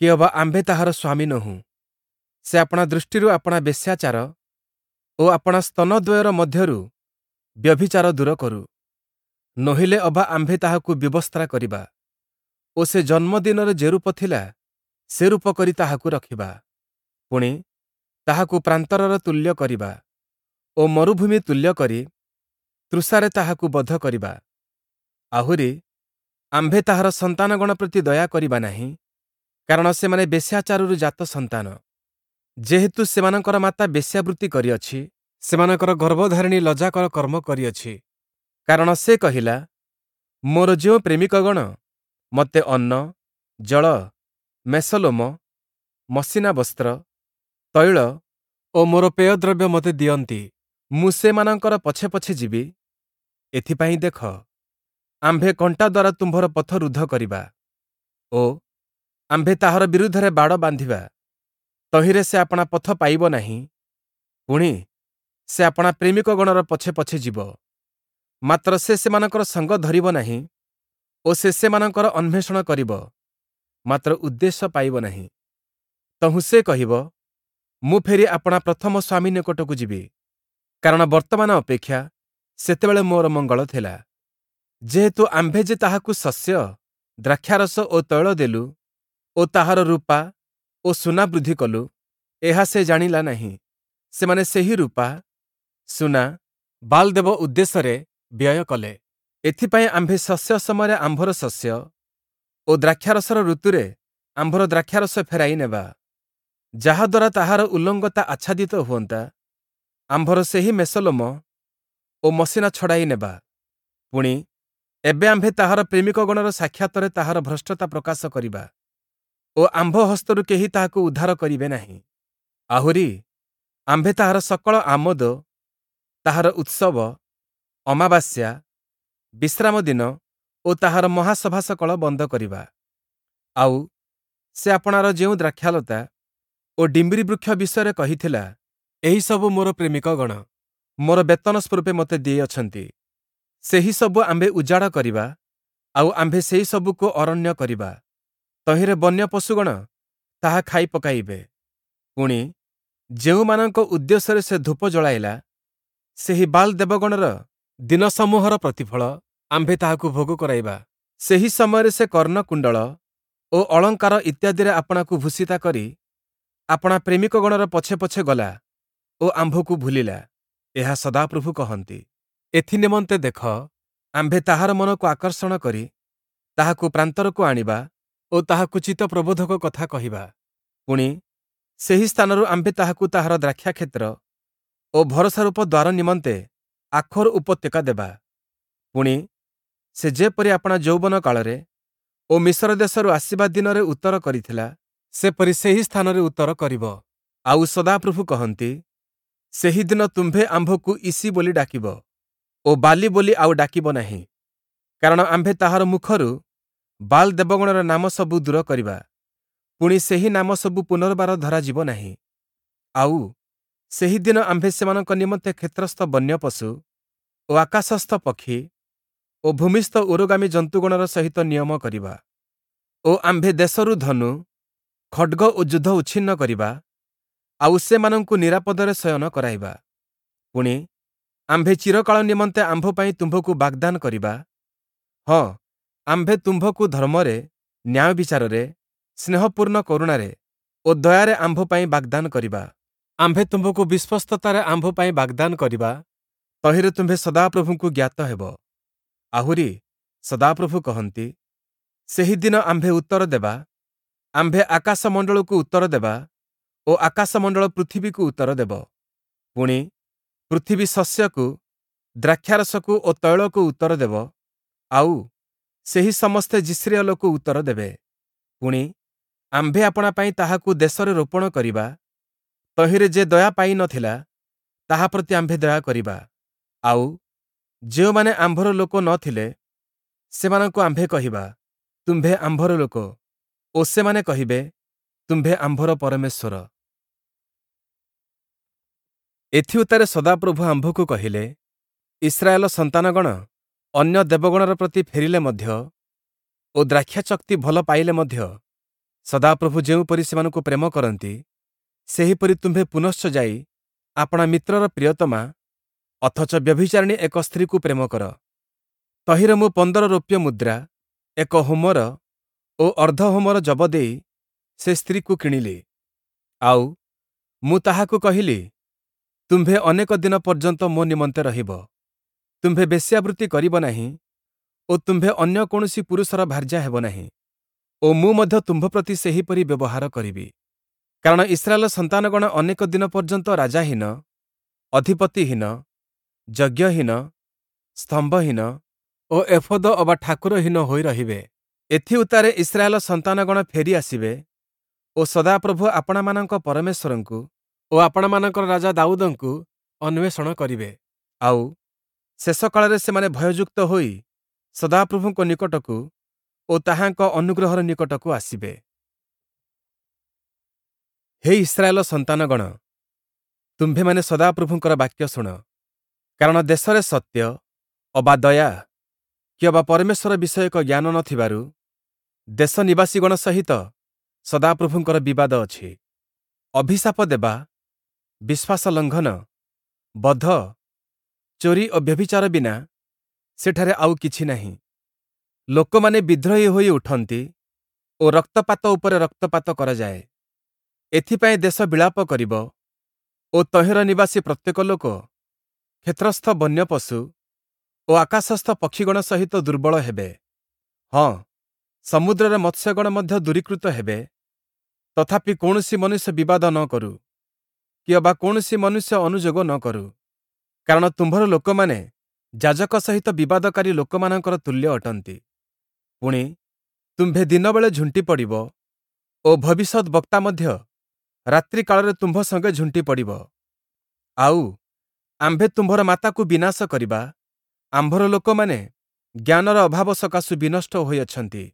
କି ଅବା ଆମ୍ଭେ ତାହାର ସ୍ୱାମୀ ନୋହୁଁ। ସେ ଆପଣା ଦୃଷ୍ଟିରୁ ଆପଣା ବେଶ୍ୟାଚାର ଓ ଆପଣା ସ୍ତନଦ୍ୱୟର ମଧ୍ୟରୁ ବ୍ୟଭିଚାର ଦୂର କରୁ, ନୋହିଲେ ଅବା ଆମ୍ଭେ ତାହାକୁ ବିବସ୍ତ୍ରା କରିବା ଓ ସେ ଜନ୍ମଦିନରେ ଯେରୂପ ଥିଲା, ସେରୂପ କରି ତାହାକୁ ରଖିବା। ପୁଣି, ତାହାକୁ ପ୍ରାନ୍ତରର ତୁଲ୍ୟ କରିବା ଓ ମରୁଭୂମି ତୁଲ୍ୟ କରି ତୃଷାରେ ତାହାକୁ ବଧ କରିବା। ଆହୁରି, ଆମ୍ଭେ ତାହାର ସନ୍ତାନଗଣ ପ୍ରତି ଦୟା କରିବା ନାହିଁ, କାରଣ ସେମାନେ ବେଶ୍ୟାଚାରରୁ ଜାତ ସନ୍ତାନ। ଯେହେତୁ ସେମାନଙ୍କର ମାତା ବେଶ୍ୟାବୃତ୍ତି କରିଅଛି, ସେମାନଙ୍କର ଗର୍ଭଧାରିଣୀ ଲଜ୍ଜାକର କର୍ମ କରିଅଛି। କାରଣ ସେ କହିଲା, ମୋର ଯେଉଁ ପ୍ରେମିକଗଣ ମୋତେ ଅନ୍ନ, ଜଳ, ମେଷଲୋମ, ମସିନା ବସ୍ତ୍ର, ତୈଳ ଓ ମୋର ପେୟଦ୍ରବ୍ୟ ମୋତେ ଦିଅନ୍ତି, ମୁଁ ସେମାନଙ୍କର ପଛେ ପଛେ ଯିବି। ଏଥିପାଇଁ ଦେଖ, ଆମ୍ଭେ କଣ୍ଟା ଦ୍ୱାରା ତୁମ୍ଭର ପଥ ରୁଦ୍ଧ କରିବା ଓ ଆମ୍ଭେ ତାହାର ବିରୁଦ୍ଧରେ ବାଡ଼ ବାନ୍ଧିବା। ତହିଁରେ ସେ ଆପଣା ପଥ ପାଇବ ନାହିଁ। ପୁଣି, ସେ ଆପଣା ପ୍ରେମିକଗଣର ପଛେ ପଛେ ଯିବ, ମାତ୍ର ସେ ସେମାନଙ୍କର ସଙ୍ଗ ଧରିବ ନାହିଁ ଓ ସେ ସେମାନଙ୍କର ଅନ୍ୱେଷଣ କରିବ, ମାତ୍ର ଉଦ୍ଦେଶ୍ୟ ପାଇବ ନାହିଁ। ତହୁଁ ସେ କହିବ, ମୁଁ ଫେରି ଆପଣା ପ୍ରଥମ ସ୍ୱାମୀ ନିକଟକୁ ଯିବି, କାରଣ ବର୍ତ୍ତମାନ ଅପେକ୍ଷା ସେତେବେଳେ ମୋର ମଙ୍ଗଳ ଥିଲା। ଯେହେତୁ ଆମ୍ଭେ ଯେ ତାହାକୁ ଶସ୍ୟ, ଦ୍ରାକ୍ଷାରସ ଓ ତୈଳ ଦେଲୁ ଓ ତାହାର ରୂପା ଓ ସୁନା ବୃଦ୍ଧି କଲୁ, ଏହା ସେ ଜାଣିଲା ନାହିଁ। ସେମାନେ ସେହି ରୂପା, ସୁନା ବାଲ୍ ଦେବ ଉଦ୍ଦେଶ୍ୟରେ ବ୍ୟୟ କଲେ। ଏଥିପାଇଁ ଆମ୍ଭେ ଶସ୍ୟ ସମୟରେ ଆମ୍ଭର ଶସ୍ୟ ଓ ଦ୍ରାକ୍ଷାରସର ଋତୁରେ ଆମ୍ଭର ଦ୍ରାକ୍ଷାରସ ଫେରାଇ ନେବା, ଯାହାଦ୍ୱାରା ତାହାର ଉଲଙ୍ଗତା ଆଚ୍ଛାଦିତ ହୁଅନ୍ତା। ଆମ୍ଭର ସେହି ମେଷଲୋମ ଓ ମସିନା ଛଡ଼ାଇ ନେବା। ପୁଣି, ଏବେ ଆମ୍ଭେ ତାହାର ପ୍ରେମିକଗଣର ସାକ୍ଷାତରେ ତାହାର ଭ୍ରଷ୍ଟତା ପ୍ରକାଶ କରିବା ଓ ଆମ୍ଭ ହସ୍ତରୁ କେହି ତାହାକୁ ଉଦ୍ଧାର କରିବେ ନାହିଁ। ଆହୁରି, ଆମ୍ଭେ ତାହାର ସକଳ ଆମୋଦ, ତାହାର ଉତ୍ସବ, ଅମାବାସ୍ୟା, ବିଶ୍ରାମ ଦିନ ଓ ତାହାର ମହାସଭା ସକଳ ବନ୍ଦ କରିବା। ଆଉ ସେ ଆପଣାର ଯେଉଁ ଦ୍ରାକ୍ଷାଲତା ଓ ଡିମ୍ବିରି ବୃକ୍ଷ ବିଷୟରେ କହିଥିଲା, ଏହିସବୁ ମୋର ପ୍ରେମିକଗଣ ମୋର ବେତନ ସ୍ୱରୂପେ ମୋତେ ଦେଇଅଛନ୍ତି, ସେହି ସବୁ ଆମ୍ଭେ ଉଜାଡ଼ କରିବା, ଆଉ ଆମ୍ଭେ ସେହି ସବୁକୁ ଅରଣ୍ୟ କରିବା। ତହିଁରେ ବନ୍ୟ ପଶୁଗଣ ତାହା ଖାଇ ପକାଇବେ। ପୁଣି, ଯେଉଁମାନଙ୍କ ଉଦ୍ଦେଶ୍ୟରେ ସେ ଧୂପ ଜଳାଇଲା, ସେହି ବାଲ୍ ଦେବଗଣର ଦିନସମୂହର ପ୍ରତିଫଳ ଆମ୍ଭେ ତାହାକୁ ଭୋଗ କରାଇବା। ସେହି ସମୟରେ ସେ କର୍ଣ୍ଣକୁଣ୍ଡଳ ଓ ଅଳଙ୍କାର ଇତ୍ୟାଦିରେ ଆପଣାକୁ ଭୂଷିତା କରି ଆପଣା ପ୍ରେମିକଗଣର ପଛେ ପଛେ ଗଲା ଓ ଆମ୍ଭକୁ ଭୁଲିଲା। ଏହା ସଦାପ୍ରଭୁ କହନ୍ତି। ଏଥିନିମନ୍ତେ ଦେଖ, ଆମ୍ଭେ ତାହାର ମନକୁ ଆକର୍ଷଣ କରି ତାହାକୁ ପ୍ରାନ୍ତରକୁ ଆଣିବା ଓ ତାହାକୁ ଚିତ୍ତ ପ୍ରବୋଧକ କଥା କହିବା। ପୁଣି, ସେହି ସ୍ଥାନରୁ ଆମ୍ଭେ ତାହାକୁ ତାହାର ଦ୍ରାକ୍ଷାକ୍ଷେତ୍ର ଓ ଭରସାରୂପ ଦ୍ୱାର ନିମନ୍ତେ ଆଖୋର ଉପତ୍ୟକା ଦେବା। ପୁଣି, ସେ ଯେପରି ଆପଣା ଯୌବନ କାଳରେ ଓ ମିଶର ଦେଶରୁ ଆସିବା ଦିନରେ ଉତ୍ତର କରିଥିଲା, ସେପରି ସେହି ସ୍ଥାନରେ ଉତ୍ତର କରିବ। ଆଉ ସଦାପ୍ରଭୁ କହନ୍ତି, ସେହିଦିନ ତୁମ୍ଭେ ଆମ୍ଭକୁ ଇସି ବୋଲି ଡାକିବ ଓ ବାଲି ବୋଲି ଆଉ ଡାକିବ ନାହିଁ, କାରଣ ଆମ୍ଭେ ତାହାର ମୁଖରୁ ବାଲ୍ ଦେବଗଣର ନାମ ସବୁ ଦୂର କରିବା। ପୁଣି ସେହି ନାମ ସବୁ ପୁନର୍ବାର ଧରାଯିବ ନାହିଁ। ଆଉ ସେହିଦିନ ଆମ୍ଭେ ସେମାନଙ୍କ ନିମନ୍ତେ କ୍ଷେତ୍ରସ୍ଥ ବନ୍ୟ ପଶୁ ଓ ଆକାଶସ୍ଥ ପକ୍ଷୀ ଓ ଭୂମିସ୍ଥ ଉରୋଗାମୀ ଜନ୍ତୁଗଣର ସହିତ ନିୟମ କରିବା ଓ ଆମ୍ଭେ ଦେଶରୁ ଧନୁ, ଖଡ଼୍ଗ ଓ ଯୁଦ୍ଧ ଉଚ୍ଛିନ୍ନ କରିବା, ଆଉ ସେମାନଙ୍କୁ ନିରାପଦରେ ଶୟନ କରାଇବା। ପୁଣି, ଆମ୍ଭେ ଚିରକାଳ ନିମନ୍ତେ ଆମ୍ଭ ପାଇଁ ତୁମ୍ଭକୁ ବାଗ୍ଦାନ କରିବା। ହଁ, ଆମ୍ଭେ ତୁମ୍ଭକୁ ଧର୍ମରେ, ନ୍ୟାୟ ବିଚାରରେ, ସ୍ନେହପୂର୍ଣ୍ଣ କରୁଣାରେ ଓ ଦୟାରେ ଆମ୍ଭ ପାଇଁ ବାଗ୍ଦାନ କରିବା। ଆମ୍ଭେ ତୁମ୍ଭକୁ ବିଶ୍ୱସ୍ତତାରେ ଆମ୍ଭ ପାଇଁ ବାଗ୍ଦାନ କରିବା। ତହିଁରେ ତୁମ୍ଭେ ସଦାପ୍ରଭୁଙ୍କୁ ଜ୍ଞାତ ହେବ। ଆହୁରି, ସଦାପ୍ରଭୁ କହନ୍ତି, ସେହିଦିନ ଆମ୍ଭେ ଉତ୍ତର ଦେବା, ଆମ୍ଭେ ଆକାଶମଣ୍ଡଳକୁ ଉତ୍ତର ଦେବା ଓ ଆକାଶମଣ୍ଡଳ ପୃଥିବୀକୁ ଉତ୍ତର ଦେବ। ପୁଣି, ପୃଥିବୀ ଶସ୍ୟକୁ, ଦ୍ରାକ୍ଷାରସକୁ ଓ ତୈଳକୁ ଉତ୍ତର ଦେବ, ଆଉ ସେହି ସମସ୍ତେ ଯିଷ୍ରିୟେଲକୁ ଉତ୍ତର ଦେବେ। ପୁଣି, ଆମ୍ଭେ ଆପଣା ପାଇଁ ତାହାକୁ ଦେଶରେ ରୋପଣ କରିବା, ତହିଁରେ ଯେ ଦୟା ପାଇ ନ ଥିଲା, ତାହା ପ୍ରତି ଆମ୍ଭେ ଦୟା କରିବା। ଆଉ ଯେଉଁମାନେ ଆମ୍ଭର ଲୋକ ନ ଥିଲେ, ସେମାନଙ୍କୁ ଆମ୍ଭେ କହିବା, ତୁମ୍ଭେ ଆମ୍ଭର ଲୋକ, ଓ ସେମାନେ କହିବେ, ତୁମ୍ଭେ ଆମ୍ଭର ପରମେଶ୍ୱର। ଏଥିଉତ୍ତାରେ ସଦାପ୍ରଭୁ ଆମ୍ଭକୁ କହିଲେ, ଇସ୍ରାଏଲ ସନ୍ତାନଗଣ ଅନ୍ୟ ଦେବଗଣର ପ୍ରତି ଫେରିଲେ ମଧ୍ୟ ଓ ଦ୍ରାକ୍ଷାଚକ୍ତି ଭଲ ପାଇଲେ ମଧ୍ୟ ସଦାପ୍ରଭୁ ଯେଉଁପରି ସେମାନଙ୍କୁ ପ୍ରେମ କରନ୍ତି, ସେହିପରି ତୁମ୍ଭେ ପୁନଶ୍ଚ ଯାଇ ଆପଣା ମିତ୍ରର ପ୍ରିୟତମା ଅଥଚ ବ୍ୟଭିଚାରିଣୀ ଏକ ସ୍ତ୍ରୀକୁ ପ୍ରେମ କର। ତହିଁରେ ମୁଁ ପନ୍ଦର ରୌପ୍ୟ ମୁଦ୍ରା, ଏକ ହୋମର ଓ ଅର୍ଦ୍ଧ ହୋମର ଯବ ଦେଇ ସେ ସ୍ତ୍ରୀକୁ କିଣିଲି। ଆଉ, ମୁଁ ତାହାକୁ କହିଲି, ତୁମ୍ଭେ ଅନେକ ଦିନ ପର୍ଯ୍ୟନ୍ତ ମୋ ନିମନ୍ତେ ରହିବ। ତୁମ୍ଭେ ବେଶ୍ୟାବୃତ୍ତି କରିବ ନାହିଁ ଓ ତୁମ୍ଭେ ଅନ୍ୟ କୌଣସି ପୁରୁଷର ଭାର୍ଯ୍ୟା ହେବ ନାହିଁ ଓ ମୁଁ ମଧ୍ୟ ତୁମ୍ଭ ପ୍ରତି ସେହିପରି ବ୍ୟବହାର କରିବି। କାରଣ ଇସ୍ରାଏଲ ସନ୍ତାନଗଣ ଅନେକ ଦିନ ପର୍ଯ୍ୟନ୍ତ ରାଜାହୀନ, ଅଧିପତିହୀନ, ଯଜ୍ଞହୀନ, ସ୍ତମ୍ଭହୀନ ଓ ଏଫୋଦ ଅବା ଠାକୁରହୀନ ହୋଇ ରହିବେ। ଏଥିଉତ୍ତାରେ ଇସ୍ରାଏଲ ସନ୍ତାନଗଣ ଫେରି ଆସିବେ ଓ ସଦାପ୍ରଭୁ ଆପଣାମାନଙ୍କ ପରମେଶ୍ୱରଙ୍କୁ ଓ ଆପଣାମାନଙ୍କର ରାଜା ଦାଉଦଙ୍କୁ ଅନ୍ୱେଷଣ କରିବେ। ଆଉ, ଶେଷ କାଳରେ ସେମାନେ ଭୟଯୁକ୍ତ ହୋଇ ସଦାପ୍ରଭୁଙ୍କ ନିକଟକୁ ଓ ତାହାଙ୍କ ଅନୁଗ୍ରହର ନିକଟକୁ ଆସିବେ। ହେ ଇସ୍ରାଏଲ ସନ୍ତାନଗଣ, ତୁମ୍ଭେମାନେ ସଦାପ୍ରଭୁଙ୍କର ବାକ୍ୟ ଶୁଣ। କାରଣ ଦେଶରେ ସତ୍ୟ ଅବା ଦୟା କିଅବା ପରମେଶ୍ୱର ବିଷୟକ ଜ୍ଞାନ ନ ଥିବାରୁ ଦେଶ ନିବାସୀଗଣ ସହିତ ସଦାପ୍ରଭୁଙ୍କର ବିବାଦ ଅଛି। ଅଭିଶାପ ଦେବା, ବିଶ୍ୱାସ ଲଙ୍ଘନ, ବଧ, ଚୋରି ଓ ବ୍ୟଭିଚାର ବିନା ସେଠାରେ ଆଉ କିଛି ନାହିଁ। ଲୋକମାନେ ବିଦ୍ରୋହୀ ହୋଇ ଉଠନ୍ତି ଓ ରକ୍ତପାତ ଉପରେ ରକ୍ତପାତ କରାଯାଏ। ଏଥିପାଇଁ ଦେଶ ବିଳାପ କରିବ ଓ ତହିଁର ନିବାସୀ ପ୍ରତ୍ୟେକ ଲୋକ କ୍ଷେତ୍ରସ୍ଥ ବନ୍ୟପଶୁ ଓ ଆକାଶସ୍ଥ ପକ୍ଷୀଗଣ ସହିତ ଦୁର୍ବଳ ହେବେ। ହଁ, ସମୁଦ୍ରର ମତ୍ସ୍ୟଗଣ ମଧ୍ୟ ଦୂରୀକୃତ ହେବେ। ତଥାପି କୌଣସି ମନୁଷ୍ୟ ବିବାଦ ନ କରୁ, କିଅବା କୌଣସି ମନୁଷ୍ୟ ଅନୁଯୋଗ ନ କରୁ। କାରଣ ତୁମ୍ଭର ଲୋକମାନେ ଯାଜକ ସହିତ ବିବାଦକାରୀ ଲୋକମାନଙ୍କର ତୁଲ୍ୟ ଅଟନ୍ତି। ପୁଣି, ତୁମ୍ଭେ ଦିନବେଳେ ଝୁଣ୍ଟି ପଡ଼ିବ ଓ ଭବିଷ୍ୟଦ୍‌ବକ୍ତା ମଧ୍ୟ ରାତ୍ରିକାଳରେ ତୁମ୍ଭ ସଙ୍ଗେ ଝୁଣ୍ଟି ପଡ଼ିବ। ଆଉ, ଆମ୍ଭେ ତୁମ୍ଭର ମାତାକୁ ବିନାଶ କରିବା, ଆମ୍ଭର ଲୋକମାନେ ଜ୍ଞାନର ଅଭାବ ସକାଶୁ ବିନଷ୍ଟ ହୋଇଅଛନ୍ତି।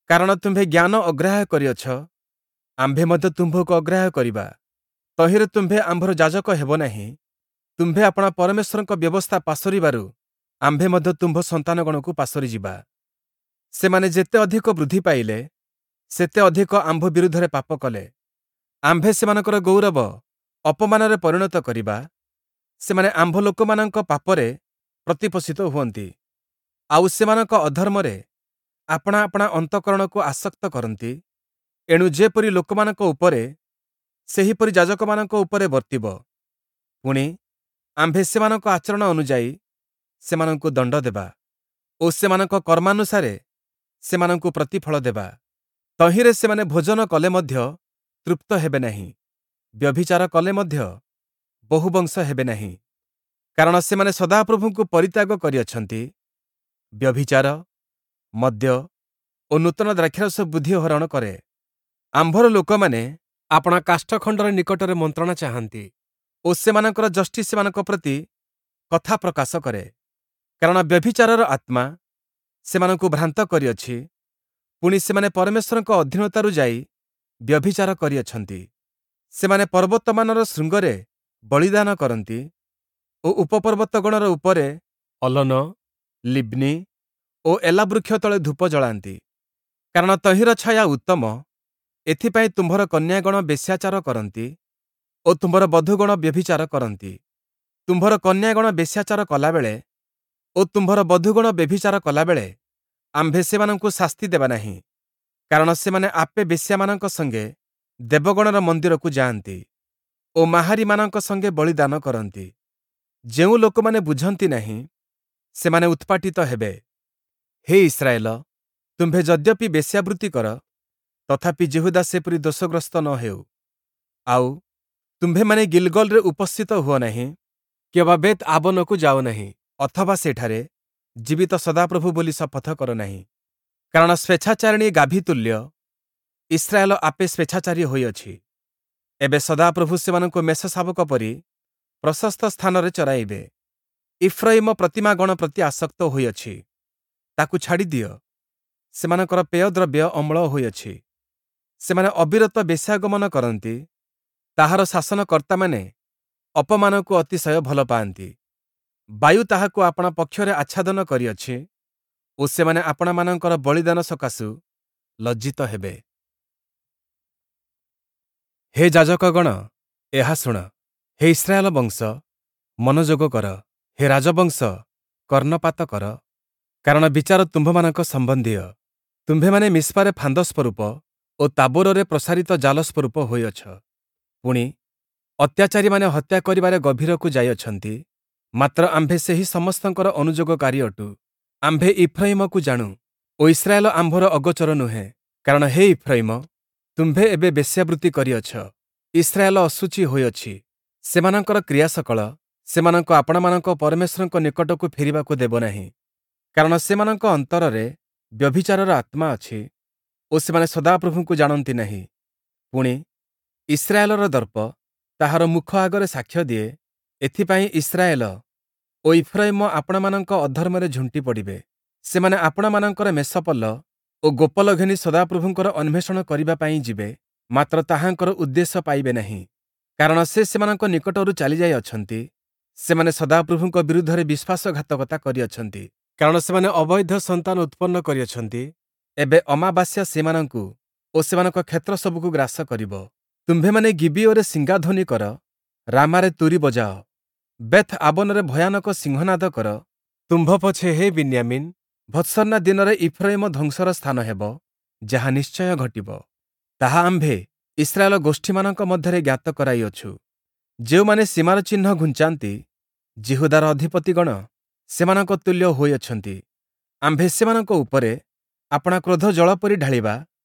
କାରଣ ତୁମ୍ଭେ ଜ୍ଞାନ ଅଗ୍ରାହ୍ୟ କରିଅଛ, ଆମ୍ଭେ ମଧ୍ୟ ତୁମ୍ଭକୁ ଅଗ୍ରାହ୍ୟ କରିବା। ତହିଁରେ ତୁମ୍ଭେ ଆମ୍ଭର ଯାଜକ ହେବ ନାହିଁ। ତୁମ୍ଭେ ଆପଣା ପରମେଶ୍ୱରଙ୍କ ବ୍ୟବସ୍ଥା ପାସୋରିବାରୁ ଆମ୍ଭେ ମଧ୍ୟ ତୁମ୍ଭ ସନ୍ତାନଗଣକୁ ପାସୋରିଯିବା। ସେମାନେ ଯେତେ ଅଧିକ ବୃଦ୍ଧି ପାଇଲେ, ସେତେ ଅଧିକ ଆମ୍ଭ ବିରୁଦ୍ଧରେ ପାପ କଲେ। ଆମ୍ଭେ ସେମାନଙ୍କର ଗୌରବ ଅପମାନରେ ପରିଣତ କରିବା। ସେମାନେ ଆମ୍ଭ ଲୋକମାନଙ୍କ ପାପରେ ପ୍ରତିପୋଷିତ ହୁଅନ୍ତି, ଆଉ ସେମାନଙ୍କ ଅଧର୍ମରେ ଆପଣା ଆପଣା ଅନ୍ତଃକରଣକୁ ଆସକ୍ତ କରନ୍ତି। ଏଣୁ ଯେପରି ଲୋକମାନଙ୍କ ଉପରେ, ସେହିପରି ଯାଜକମାନଙ୍କ ଉପରେ ବର୍ତ୍ତିବ। ପୁଣି, ଆମ୍ଭେ ସେମାନଙ୍କ ଆଚରଣ ଅନୁଯାୟୀ ସେମାନଙ୍କୁ ଦଣ୍ଡ ଦେବା ଓ ସେମାନଙ୍କ କର୍ମାନୁସାରେ ସେମାନଙ୍କୁ ପ୍ରତିଫଳ ଦେବା। ତହିଁରେ ସେମାନେ ଭୋଜନ କଲେ ମଧ୍ୟ ତୃପ୍ତ ହେବେ ନାହିଁ, ବ୍ୟଭିଚାର କଲେ ମଧ୍ୟ ବହୁବଂଶ ହେବେ ନାହିଁ। କାରଣ ସେମାନେ ସଦାପ୍ରଭୁଙ୍କୁ ପରିତ୍ୟାଗ କରିଅଛନ୍ତି, ବ୍ୟଭିଚାର, ମଦ୍ୟ ଓ ନୂତନ ଦ୍ରାକ୍ଷାରସ ବୁଦ୍ଧି ହରଣ କରେ। ଆମ୍ଭର ଲୋକମାନେ ଆପଣା କାଷ୍ଠଖଣ୍ଡର ନିକଟରେ ମନ୍ତ୍ରଣା ଚାହାନ୍ତି ଓ ସେମାନଙ୍କର ଯଷ୍ଟି ସେମାନଙ୍କ ପ୍ରତି କଥା ପ୍ରକାଶ କରେ। କାରଣ ବ୍ୟଭିଚାରର ଆତ୍ମା ସେମାନଙ୍କୁ ଭ୍ରାନ୍ତ କରିଅଛି, ପୁଣି ସେମାନେ ପରମେଶ୍ୱରଙ୍କ ଅଧୀନତାରୁ ଯାଇ ବ୍ୟଭିଚାର କରିଅଛନ୍ତି। ସେମାନେ ପର୍ବତମାନର ଶୃଙ୍ଗରେ ବଳିଦାନ କରନ୍ତି ଓ ଉପପର୍ବତଗଣର ଉପରେ ଅଲନ, ଲିବ୍ନି ଓ ଏଲା ବୃକ୍ଷ ତଳେ ଧୂପ ଜଳାନ୍ତି। କାରଣ ତହିଁର ଛାୟା ଉତ୍ତମ, ଏଥିପାଇଁ ତୁମ୍ଭର କନ୍ୟାଗଣ ବେଶ୍ୟାଚାର କରନ୍ତି ଓ ତୁମ୍ଭର ବଧୂଗଣ ବ୍ୟଭିଚାର କରନ୍ତି। ତୁମ୍ଭର କନ୍ୟାଗଣ ବେଶ୍ୟାଚାର କଲାବେଳେ ଓ ତୁମ୍ଭର ବଧୂଗଣ ବ୍ୟଭିଚାର କଲାବେଳେ ଆମ୍ଭେ ସେମାନଙ୍କୁ ଶାସ୍ତି ଦେବା ନାହିଁ, କାରଣ ସେମାନେ ଆପେ ବେଶ୍ୟାମାନଙ୍କ ସଙ୍ଗେ ଦେବଗଣର ମନ୍ଦିରକୁ ଯାଆନ୍ତି ଓ ମାହାରୀମାନଙ୍କ ସଙ୍ଗେ ବଳିଦାନ କରନ୍ତି। ଯେଉଁ ଲୋକମାନେ ବୁଝନ୍ତି ନାହିଁ, ସେମାନେ ଉତ୍ପାଟିତ ହେବେ। ହେ ଇସ୍ରାଏଲ, ତୁମ୍ଭେ ଯଦ୍ୟପି ବେଶ୍ୟାବୃତ୍ତି କର, ତଥାପି ଯିହୁଦା ସେପରି ଦୋଷଗ୍ରସ୍ତ ନ ହେଉ। ଆଉ, ତୁମ୍ଭେମାନେ ଗିଲ୍‌ଗଲ୍‌ରେ ଉପସ୍ଥିତ ହୁଅ ନାହିଁ, କିଅବା ବେତ୍ ଆବନକୁ ଯାଅ ନାହିଁ, ଅଥବା ସେଠାରେ ଜୀବିତ ସଦାପ୍ରଭୁ ବୋଲି ଶପଥ କର ନାହିଁ। କାରଣ ସ୍ୱେଚ୍ଛାଚାରିଣୀ ଗାଭୀ ତୁଲ୍ୟ ଇସ୍ରାଏଲ ଆପେ ସ୍ୱେଚ୍ଛାଚାରୀ ହୋଇଅଛି। ଏବେ ସଦାପ୍ରଭୁ ସେମାନଙ୍କୁ ମେଷଶାବକ ପରି ପ୍ରଶସ୍ତ ସ୍ଥାନରେ ଚରାଇବେ। ଇଫ୍ରୟିମ ପ୍ରତିମାଗଣ ପ୍ରତି ଆସକ୍ତ ହୋଇଅଛି, ତାକୁ ଛାଡ଼ିଦିଅ। ସେମାନଙ୍କର ପେୟଦ୍ରବ୍ୟ ଅମ୍ଳ ହୋଇଅଛି। ସେମାନେ ଅବିରତ ବେଶ୍ୟାଗମନ କରନ୍ତି, ତାହାର ଶାସନକର୍ତ୍ତାମାନେ ଅପମାନକୁ ଅତିଶୟ ଭଲ ପାଆନ୍ତି। ବାୟୁ ତାହାକୁ ଆପଣା ପକ୍ଷରେ ଆଚ୍ଛାଦନ କରିଅଛି ଓ ସେମାନେ ଆପଣାମାନଙ୍କର ବଳିଦାନ ସକାଶୁ ଲଜ୍ଜିତ ହେବେ। ହେ ଯାଜକଗଣ, ଏହା ଶୁଣ। ହେ ଇସ୍ରାଏଲ ବଂଶ, ମନୋଯୋଗ କର। ହେ ରାଜବଂଶ, କର୍ଣ୍ଣପାତ କର। କାରଣ ବିଚାର ତୁମ୍ଭମାନଙ୍କ ସମ୍ବନ୍ଧୀୟ। ତୁମ୍ଭେମାନେ ମିସ୍ପାରେ ଫାନ୍ଦ ସ୍ୱରୂପ ଓ ତାବୋରରେ ପ୍ରସାରିତ ଜାଲ ସ୍ୱରୂପ ହୋଇଅଛ। ପୁଣି, ଅତ୍ୟାଚାରୀମାନେ ହତ୍ୟା କରିବାରେ ଗଭୀରକୁ ଯାଇଅଛନ୍ତି, ମାତ୍ର ଆମ୍ଭେ ସେହି ସମସ୍ତଙ୍କର ଅନୁଯୋଗକାରୀ ଅଟୁ। ଆମ୍ଭେ ଇଫ୍ରୟିମକୁ ଜାଣୁ ଓ ଇସ୍ରାଏଲ ଆମ୍ଭର ଅଗୋଚର ନୁହେଁ। କାରଣ ହେ ଇଫ୍ରୟିମ, ତୁମ୍ଭେ ଏବେ ବେଶ୍ୟାବୃତ୍ତି କରିଅଛ, ଇସ୍ରାଏଲ ଅଶୁଚି ହୋଇଅଛି। ସେମାନଙ୍କର କ୍ରିୟାସକଳ ସେମାନଙ୍କୁ ଆପଣାମାନଙ୍କ ପରମେଶ୍ୱରଙ୍କ ନିକଟକୁ ଫେରିବାକୁ ଦେବ ନାହିଁ। କାରଣ ସେମାନଙ୍କ ଅନ୍ତରରେ ବ୍ୟଭିଚାରର ଆତ୍ମା ଅଛି ଓ ସେମାନେ ସଦାପ୍ରଭୁଙ୍କୁ ଜାଣନ୍ତି ନାହିଁ। ପୁଣି, ଇସ୍ରାଏଲର ଦର୍ପ ତାହାର ମୁଖ ଆଗରେ ସାକ୍ଷ୍ୟ ଦିଏ, ଏଥିପାଇଁ ଇସ୍ରାଏଲ ଓ ଇଫ୍ରୟିମ ଆପଣାମାନଙ୍କ ଅଧର୍ମରେ ଝୁଣ୍ଟି ପଡ଼ିବେ। ସେମାନେ ଆପଣାମାନଙ୍କର ମେଷପଲ ଓ ଗୋପଲ ଘେନି ସଦାପ୍ରଭୁଙ୍କର ଅନ୍ୱେଷଣ କରିବା ପାଇଁ ଯିବେ, ମାତ୍ର ତାହାଙ୍କର ଉଦ୍ଦେଶ୍ୟ ପାଇବେ ନାହିଁ। କାରଣ ସେ ସେମାନଙ୍କ ନିକଟରୁ ଚାଲିଯାଇଅଛନ୍ତି, ସେମାନେ ସଦାପ୍ରଭୁଙ୍କ ବିରୁଦ୍ଧରେ ବିଶ୍ୱାସଘାତକତା କରିଅଛନ୍ତି। କାରଣ ସେମାନେ ଅବୈଧ ସନ୍ତାନ ଉତ୍ପନ୍ନ କରିଅଛନ୍ତି, ଏବେ ଅମାବାସ୍ୟା ସେମାନଙ୍କୁ ଓ ସେମାନଙ୍କ କ୍ଷେତ୍ର ସବୁକୁ ଗ୍ରାସ କରିବ। ତୁମ୍ଭେମାନେ ଗିବିୟୋରେ ଶିଙ୍ଗାଧ୍ୱନି କର, ରାମାରେ ତୂରୀ ବଜାଅ, ବେଥ୍ ଆବନରେ ଭୟାନକ ସିଂହନାଦ କର। ତୁମ୍ଭ ପଛେ ହେ ବିନ୍ୟାମୀନ୍, ଭର୍ତ୍ସନା ଦିନରେ ଇଫ୍ରୟିମ ଧ୍ୱଂସର ସ୍ଥାନ ହେବ, ଯାହା ନିଶ୍ଚୟ ଘଟିବ। ତାହା ଆମ୍ଭେ ଇସ୍ରାଏଲ ଗୋଷ୍ଠୀମାନଙ୍କ ମଧ୍ୟରେ ଜ୍ଞାତ କରାଇଅଛୁ। ଯେଉଁମାନେ ସୀମାର ଚିହ୍ନ ଘୁଞ୍ଚାନ୍ତି, ଯିହୁଦାର ଅଧିପତିଗଣ ସେମାନଙ୍କ ତୁଲ୍ୟ ହୋଇଅଛନ୍ତି। ଆମ୍ଭେ ସେମାନଙ୍କ ଉପରେ ଆପଣା କ୍ରୋଧ ଜଳ ପରି ଢାଳିବା।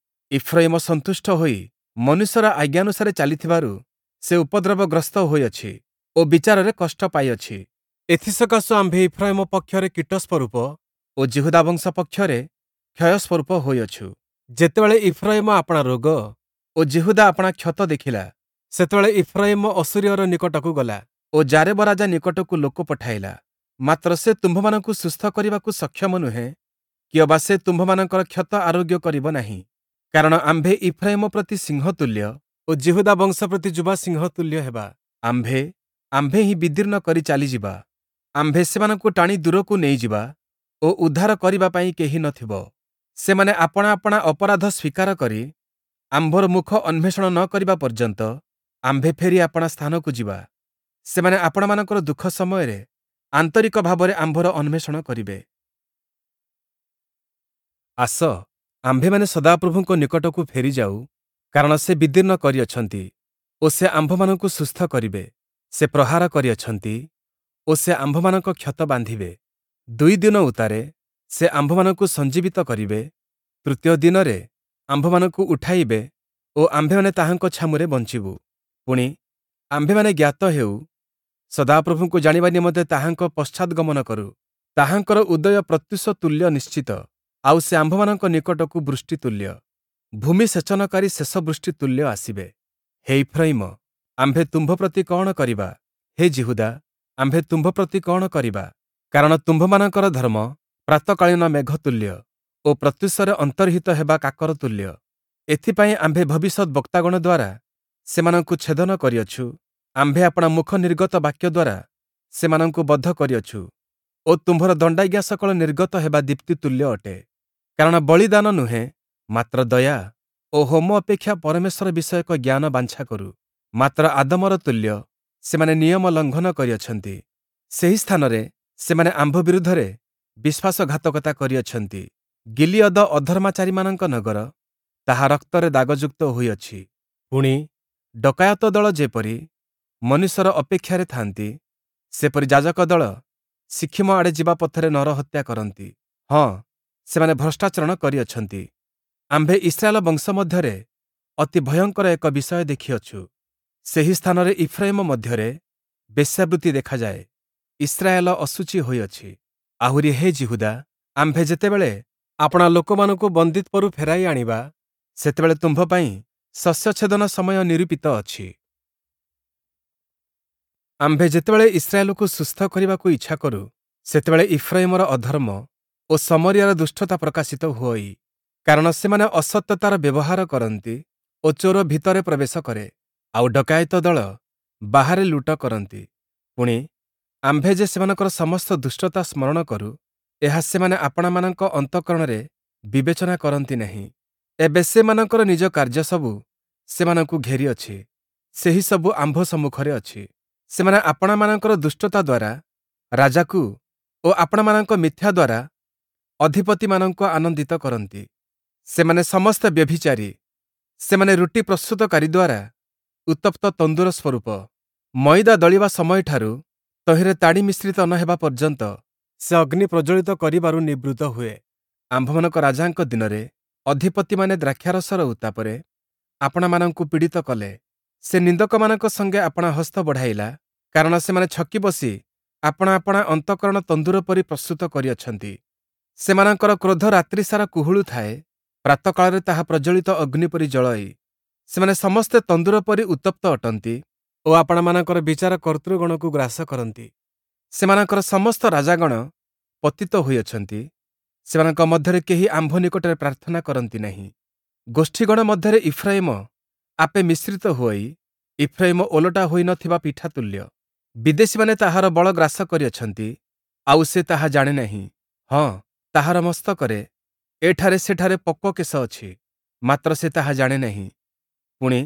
ଇଫ୍ରୟିମ ସନ୍ତୁଷ୍ଟ ହୋଇ ମନୁଷ୍ୟର ଆଜ୍ଞାନୁସାରେ ଚାଲିଥିବାରୁ ସେ ଉପଦ୍ରବଗ୍ରସ୍ତ ହୋଇଅଛି ଓ ବିଚାରରେ କଷ୍ଟ ପାଇଅଛି। ଏଥିସକାଶୁ ଆମ୍ଭେ ଇଫ୍ରୟିମ ପକ୍ଷରେ କୀଟ ସ୍ୱରୂପ ଓ ଯିହୁଦା ବଂଶ ପକ୍ଷରେ କ୍ଷୟ ସ୍ୱରୂପ ହୋଇଅଛୁ। ଯେତେବେଳେ ଇଫ୍ରୟିମ ଆପଣା ରୋଗ ଓ ଯିହୁଦା ଆପଣା କ୍ଷତ ଦେଖିଲା, ସେତେବେଳେ ଇଫ୍ରୟିମ ଅଶୂରୀୟର ନିକଟକୁ ଗଲା ଓ ଯାରେବ ରାଜା ନିକଟକୁ ଲୋକ ପଠାଇଲା। ମାତ୍ର ସେ ତୁମ୍ଭମାନଙ୍କୁ ସୁସ୍ଥ କରିବାକୁ ସକ୍ଷମ ନୁହେଁ, କିଅବା ସେ ତୁମ୍ଭମାନଙ୍କର କ୍ଷତ ଆରୋଗ୍ୟ କରିବ ନାହିଁ। କାରଣ ଆମ୍ଭେ ଇଫ୍ରୟିମ ପ୍ରତି ସିଂହ ତୁଲ୍ୟ ଓ ଯିହୁଦା ବଂଶ ପ୍ରତି ଯୁବା ସିଂହ ତୁଲ୍ୟ ହେବା। ଆମ୍ଭେ ଆମ୍ଭେ ହିଁ ବିଦୀର୍ଣ୍ଣ କରି ଚାଲିଯିବା। ଆମ୍ଭେ ସେମାନଙ୍କୁ ଟାଣି ଦୂରକୁ ନେଇଯିବା ଓ ଉଦ୍ଧାର କରିବା ପାଇଁ କେହି ନଥିବ। ସେମାନେ ଆପଣା ଆପଣା ଅପରାଧ ସ୍ୱୀକାର କରି ଆମ୍ଭର ମୁଖ ଅନ୍ୱେଷଣ ନ କରିବା ପର୍ଯ୍ୟନ୍ତ ଆମ୍ଭେ ଫେରି ଆପଣା ସ୍ଥାନକୁ ଯିବା। ସେମାନେ ଆପଣାମାନଙ୍କର ଦୁଃଖ ସମୟରେ ଆନ୍ତରିକ ଭାବରେ ଆମ୍ଭର ଅନ୍ୱେଷଣ କରିବେ। ଆସ, ଆମ୍ଭେମାନେ ସଦାପ୍ରଭୁଙ୍କ ନିକଟକୁ ଫେରିଯାଉ, କାରଣ ସେ ବିଦୀର୍ଣ୍ଣ କରିଅଛନ୍ତି ଓ ସେ ଆମ୍ଭମାନଙ୍କୁ ସୁସ୍ଥ କରିବେ। ସେ ପ୍ରହାର କରିଅଛନ୍ତି ଓ ସେ ଆମ୍ଭମାନଙ୍କ କ୍ଷତ ବାନ୍ଧିବେ। ଦୁଇ ଦିନ ଉତ୍ତାରେ ସେ ଆମ୍ଭମାନଙ୍କୁ ସଞ୍ଜୀବିତ କରିବେ, ତୃତୀୟ ଦିନରେ ଆମ୍ଭମାନଙ୍କୁ ଉଠାଇବେ ଓ ଆମ୍ଭେମାନେ ତାହାଙ୍କ ଛାମୁରେ ବଞ୍ଚିବୁ। ପୁଣି, ଆମ୍ଭେମାନେ ଜ୍ଞାତ ହେଉ, ସଦାପ୍ରଭୁଙ୍କୁ ଜାଣିବା ନିମନ୍ତେ ତାହାଙ୍କ ପଶ୍ଚାଦ୍‌ଗମନ କରୁ। ତାହାଙ୍କର ଉଦୟ ପ୍ରତ୍ୟୁଷ ତୁଲ୍ୟ ନିଶ୍ଚିତ, ଆଉ ସେ ଆମ୍ଭମାନଙ୍କ ନିକଟକୁ ବୃଷ୍ଟି ତୁଲ୍ୟ, ଭୂମି ସେଚନକାରୀ ଶେଷ ବୃଷ୍ଟି ତୁଲ୍ୟ ଆସିବେ। ହେ ଇଫ୍ରୟିମ, ଆମ୍ଭେ ତୁମ୍ଭ ପ୍ରତି କଅଣ କରିବା? ହେ ଯିହୁଦା, ଆମ୍ଭେ ତୁମ୍ଭ ପ୍ରତି କଅଣ କରିବା? କାରଣ ତୁମ୍ଭମାନଙ୍କର ଧର୍ମ ପ୍ରାତଃକାଳୀନ ମେଘ ତୁଲ୍ୟ ଓ ପ୍ରତ୍ୟୁଷରେ ଅନ୍ତର୍ହିତ ହେବା କାକର ତୁଲ୍ୟ। ଏଥିପାଇଁ ଆମ୍ଭେ ଭବିଷ୍ୟଦ୍‌ବକ୍ତାଗଣ ଦ୍ୱାରା ସେମାନଙ୍କୁ ଛେଦନ କରିଅଛୁ, ଆମ୍ଭେ ଆପଣା ମୁଖ ନିର୍ଗତ ବାକ୍ୟ ଦ୍ୱାରା ସେମାନଙ୍କୁ ବଧ କରିଅଛୁ ଓ ତୁମ୍ଭର ଦଣ୍ଡାଜ୍ଞା ସକଳ ନିର୍ଗତ ହେବା ଦୀପ୍ତି ତୁଲ୍ୟ ଅଟେ। କାରଣ ବଳିଦାନ ନୁହେଁ, ମାତ୍ର ଦୟା ଓ ହୋମ ଅପେକ୍ଷା ପରମେଶ୍ୱର ବିଷୟକ ଜ୍ଞାନ ବାଞ୍ଛା କରୁ। ମାତ୍ର ଆଦମର ତୁଲ୍ୟ ସେମାନେ ନିୟମ ଲଙ୍ଘନ କରିଅଛନ୍ତି। ସେହି ସ୍ଥାନରେ ସେମାନେ ଆମ୍ଭ ବିରୁଦ୍ଧରେ ବିଶ୍ୱାସଘାତକତା କରିଅଛନ୍ତି। ଗିଲିୟଦ ଅଧର୍ମାଚାରୀମାନଙ୍କ ନଗର, ତାହା ରକ୍ତରେ ଦାଗଯୁକ୍ତ ହୋଇଅଛି। ପୁଣି, ଡକାୟତ ଦଳ ଯେପରି ମନୁଷ୍ୟର ଅପେକ୍ଷାରେ ଥାନ୍ତି, ସେପରି ଯାଜକ ଦଳ ଶିଖିମ ଆଡ଼େ ଯିବା ପଥରେ ନରହତ୍ୟା କରନ୍ତି। ହଁ, ସେମାନେ ଭ୍ରଷ୍ଟାଚରଣ କରିଅଛନ୍ତି। ଆମ୍ଭେ ଇସ୍ରାଏଲ ବଂଶ ମଧ୍ୟରେ ଅତି ଭୟଙ୍କର ଏକ ବିଷୟ ଦେଖିଅଛୁ। ସେହି ସ୍ଥାନରେ ଇଫ୍ରୟିମ ମଧ୍ୟରେ ବେଶ୍ୟାବୃତ୍ତି ଦେଖାଯାଏ, ଇସ୍ରାଏଲ ଅଶୁଚି ହୋଇଅଛି। ଆହୁରି ହେ ଯିହୁଦା, ଆମ୍ଭେ ଯେତେବେଳେ ଆପଣା ଲୋକମାନଙ୍କୁ ବନ୍ଦୀତ୍ୱରୁ ଫେରାଇ ଆଣିବା, ସେତେବେଳେ ତୁମ୍ଭ ପାଇଁ ଶସ୍ୟଛେଦନ ସମୟ ନିରୂପିତ ଅଛି। ଆମ୍ଭେ ଯେତେବେଳେ ଇସ୍ରାଏଲକୁ ସୁସ୍ଥ କରିବାକୁ ଇଚ୍ଛା କରୁ, ସେତେବେଳେ ଇଫ୍ରୟିମର ଅଧର୍ମ ଓ ଶମରିୟାର ଦୁଷ୍ଟତା ପ୍ରକାଶିତ ହୁଅଇ। କାରଣ ସେମାନେ ଅସତ୍ୟତାର ବ୍ୟବହାର କରନ୍ତି ଓ ଚୋର ଭିତରେ ପ୍ରବେଶ କରେ, ଆଉ ଡକାୟତ ଦଳ ବାହାରେ ଲୁଟ କରନ୍ତି। ପୁଣି, ଆମ୍ଭେ ଯେ ସେମାନଙ୍କର ସମସ୍ତ ଦୁଷ୍ଟତା ସ୍ମରଣ କରୁ, ଏହା ସେମାନେ ଆପଣାମାନଙ୍କ ଅନ୍ତଃକରଣରେ ବିବେଚନା କରନ୍ତି ନାହିଁ। ଏବେ ସେମାନଙ୍କର ନିଜ କାର୍ଯ୍ୟସବୁ ସେମାନଙ୍କୁ ଘେରିଅଛି, ସେହିସବୁ ଆମ୍ଭ ସମ୍ମୁଖରେ ଅଛି। ସେମାନେ ଆପଣାମାନଙ୍କର ଦୁଷ୍ଟତା ଦ୍ୱାରା ରାଜାକୁ ଓ ଆପଣାମାନଙ୍କ ମିଥ୍ୟା ଦ୍ୱାରା ଅଧିପତିମାନଙ୍କୁ ଆନନ୍ଦିତ କରନ୍ତି। ସେମାନେ ସମସ୍ତେ ବ୍ୟଭିଚାରୀ ସେମାନେ ରୁଟି ପ୍ରସ୍ତୁତକାରୀ ଦ୍ୱାରା ଉତ୍ତପ୍ତ ତନ୍ଦୁର ସ୍ୱରୂପ। ମଇଦା ଦଳିବା ସମୟଠାରୁ ତହିଁରେ ତାଡ଼ି ମିଶ୍ରିତ ନ ହେବା ପର୍ଯ୍ୟନ୍ତ ସେ ଅଗ୍ନି ପ୍ରଜ୍ୱଳିତ କରିବାରୁ ନିବୃତ୍ତ ହୁଏ। ଆମ୍ଭମାନଙ୍କ ରାଜାଙ୍କ ଦିନରେ ଅଧିପତିମାନେ ଦ୍ରାକ୍ଷାରସର ଉତ୍ତାପରେ ଆପଣାମାନଙ୍କୁ ପୀଡ଼ିତ କଲେ। ସେ ନିନ୍ଦକମାନଙ୍କ ସଙ୍ଗେ ଆପଣା ହସ୍ତ ବଢ଼ାଇଲା, କାରଣ ସେମାନେ ଛକି ବସି ଆପଣା ଆପଣା ଅନ୍ତଃକରଣ ତନ୍ଦୁର ପରି ପ୍ରସ୍ତୁତ କରିଅଛନ୍ତି। ସେମାନଙ୍କର କ୍ରୋଧ ରାତ୍ରିସାରା କୁହୁଳୁଥାଏ, ପ୍ରାତଃକାଳରେ ତାହା ପ୍ରଜ୍ୱଳିତ ଅଗ୍ନି ପରି ଜଳଇ। ସେମାନେ ସମସ୍ତେ ତନ୍ଦୁର ପରି ଉତ୍ତପ୍ତ ଅଟନ୍ତି ଓ ଆପଣାମାନଙ୍କର ବିଚାର କର୍ତ୍ତୃଗଣକୁ ଗ୍ରାସ କରନ୍ତି। ସେମାନଙ୍କର ସମସ୍ତ ରାଜାଗଣ ପତିତ ହୋଇଅଛନ୍ତି, ସେମାନଙ୍କ ମଧ୍ୟରେ କେହି ଆମ୍ଭ ନିକଟରେ ପ୍ରାର୍ଥନା କରନ୍ତି ନାହିଁ। ଗୋଷ୍ଠୀଗଣ ମଧ୍ୟରେ ଇଫ୍ରାଇମ ଆପେ ମିଶ୍ରିତ ହୋଇ ଇଫ୍ରାଇମ ଓଲଟା ହୋଇ ନ ଥିବା ପିଠା ତୁଲ୍ୟ। ବିଦେଶୀମାନେ ତାହାର ବଳ ଗ୍ରାସ କରିଅଛନ୍ତି, ଆଉ ସେ ତାହା ଜାଣେ ନାହିଁ। ହଁ, ତାହାର ମସ୍ତକରେ ଏଠାରେ ସେଠାରେ ପକ୍ୱ କେଶ ଅଛି, ମାତ୍ର ସେ ତାହା ଜାଣେ ନାହିଁ। ପୁଣି,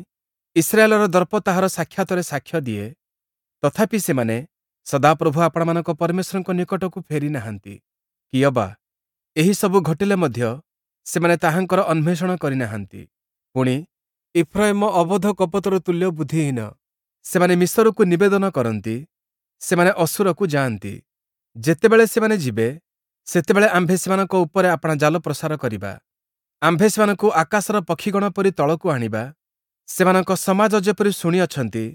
ଇସ୍ରାଏଲର ଦର୍ପ ତାହାର ସାକ୍ଷାତରେ ସାକ୍ଷ୍ୟ ଦିଏ, ତଥାପି ସେମାନେ ସଦାପ୍ରଭୁ ଆପଣାମାନଙ୍କ ପରମେଶ୍ୱରଙ୍କ ନିକଟକୁ ଫେରି ନାହାନ୍ତି, କିଅବା ଏହିସବୁ ଘଟିଲେ ମଧ୍ୟ ସେମାନେ ତାହାଙ୍କର ଅନ୍ୱେଷଣ କରିନାହାନ୍ତି। ପୁଣି, ଇଫ୍ରାଇମ ଅବୋଧ କପୋତର ତୁଲ୍ୟ ବୁଦ୍ଧିହୀନ। ସେମାନେ ମିଶରକୁ ନିବେଦନ କରନ୍ତି, ସେମାନେ ଅଶୂରକୁ ଯାଆନ୍ତି। ଯେତେବେଳେ ସେମାନେ ଯିବେ, ସେତେବେଳେ ଆମ୍ଭେ ସେମାନଙ୍କ ଉପରେ ଆପଣା ଜାଲ ପ୍ରସାର କରିବା। ଆମ୍ଭେ ସେମାନଙ୍କୁ ଆକାଶର ପକ୍ଷୀଗଣ ପରି ତଳକୁ ଆଣିବା। ସେମାନଙ୍କ ସମାଜ ଯେପରି ଶୁଣିଅଛନ୍ତି,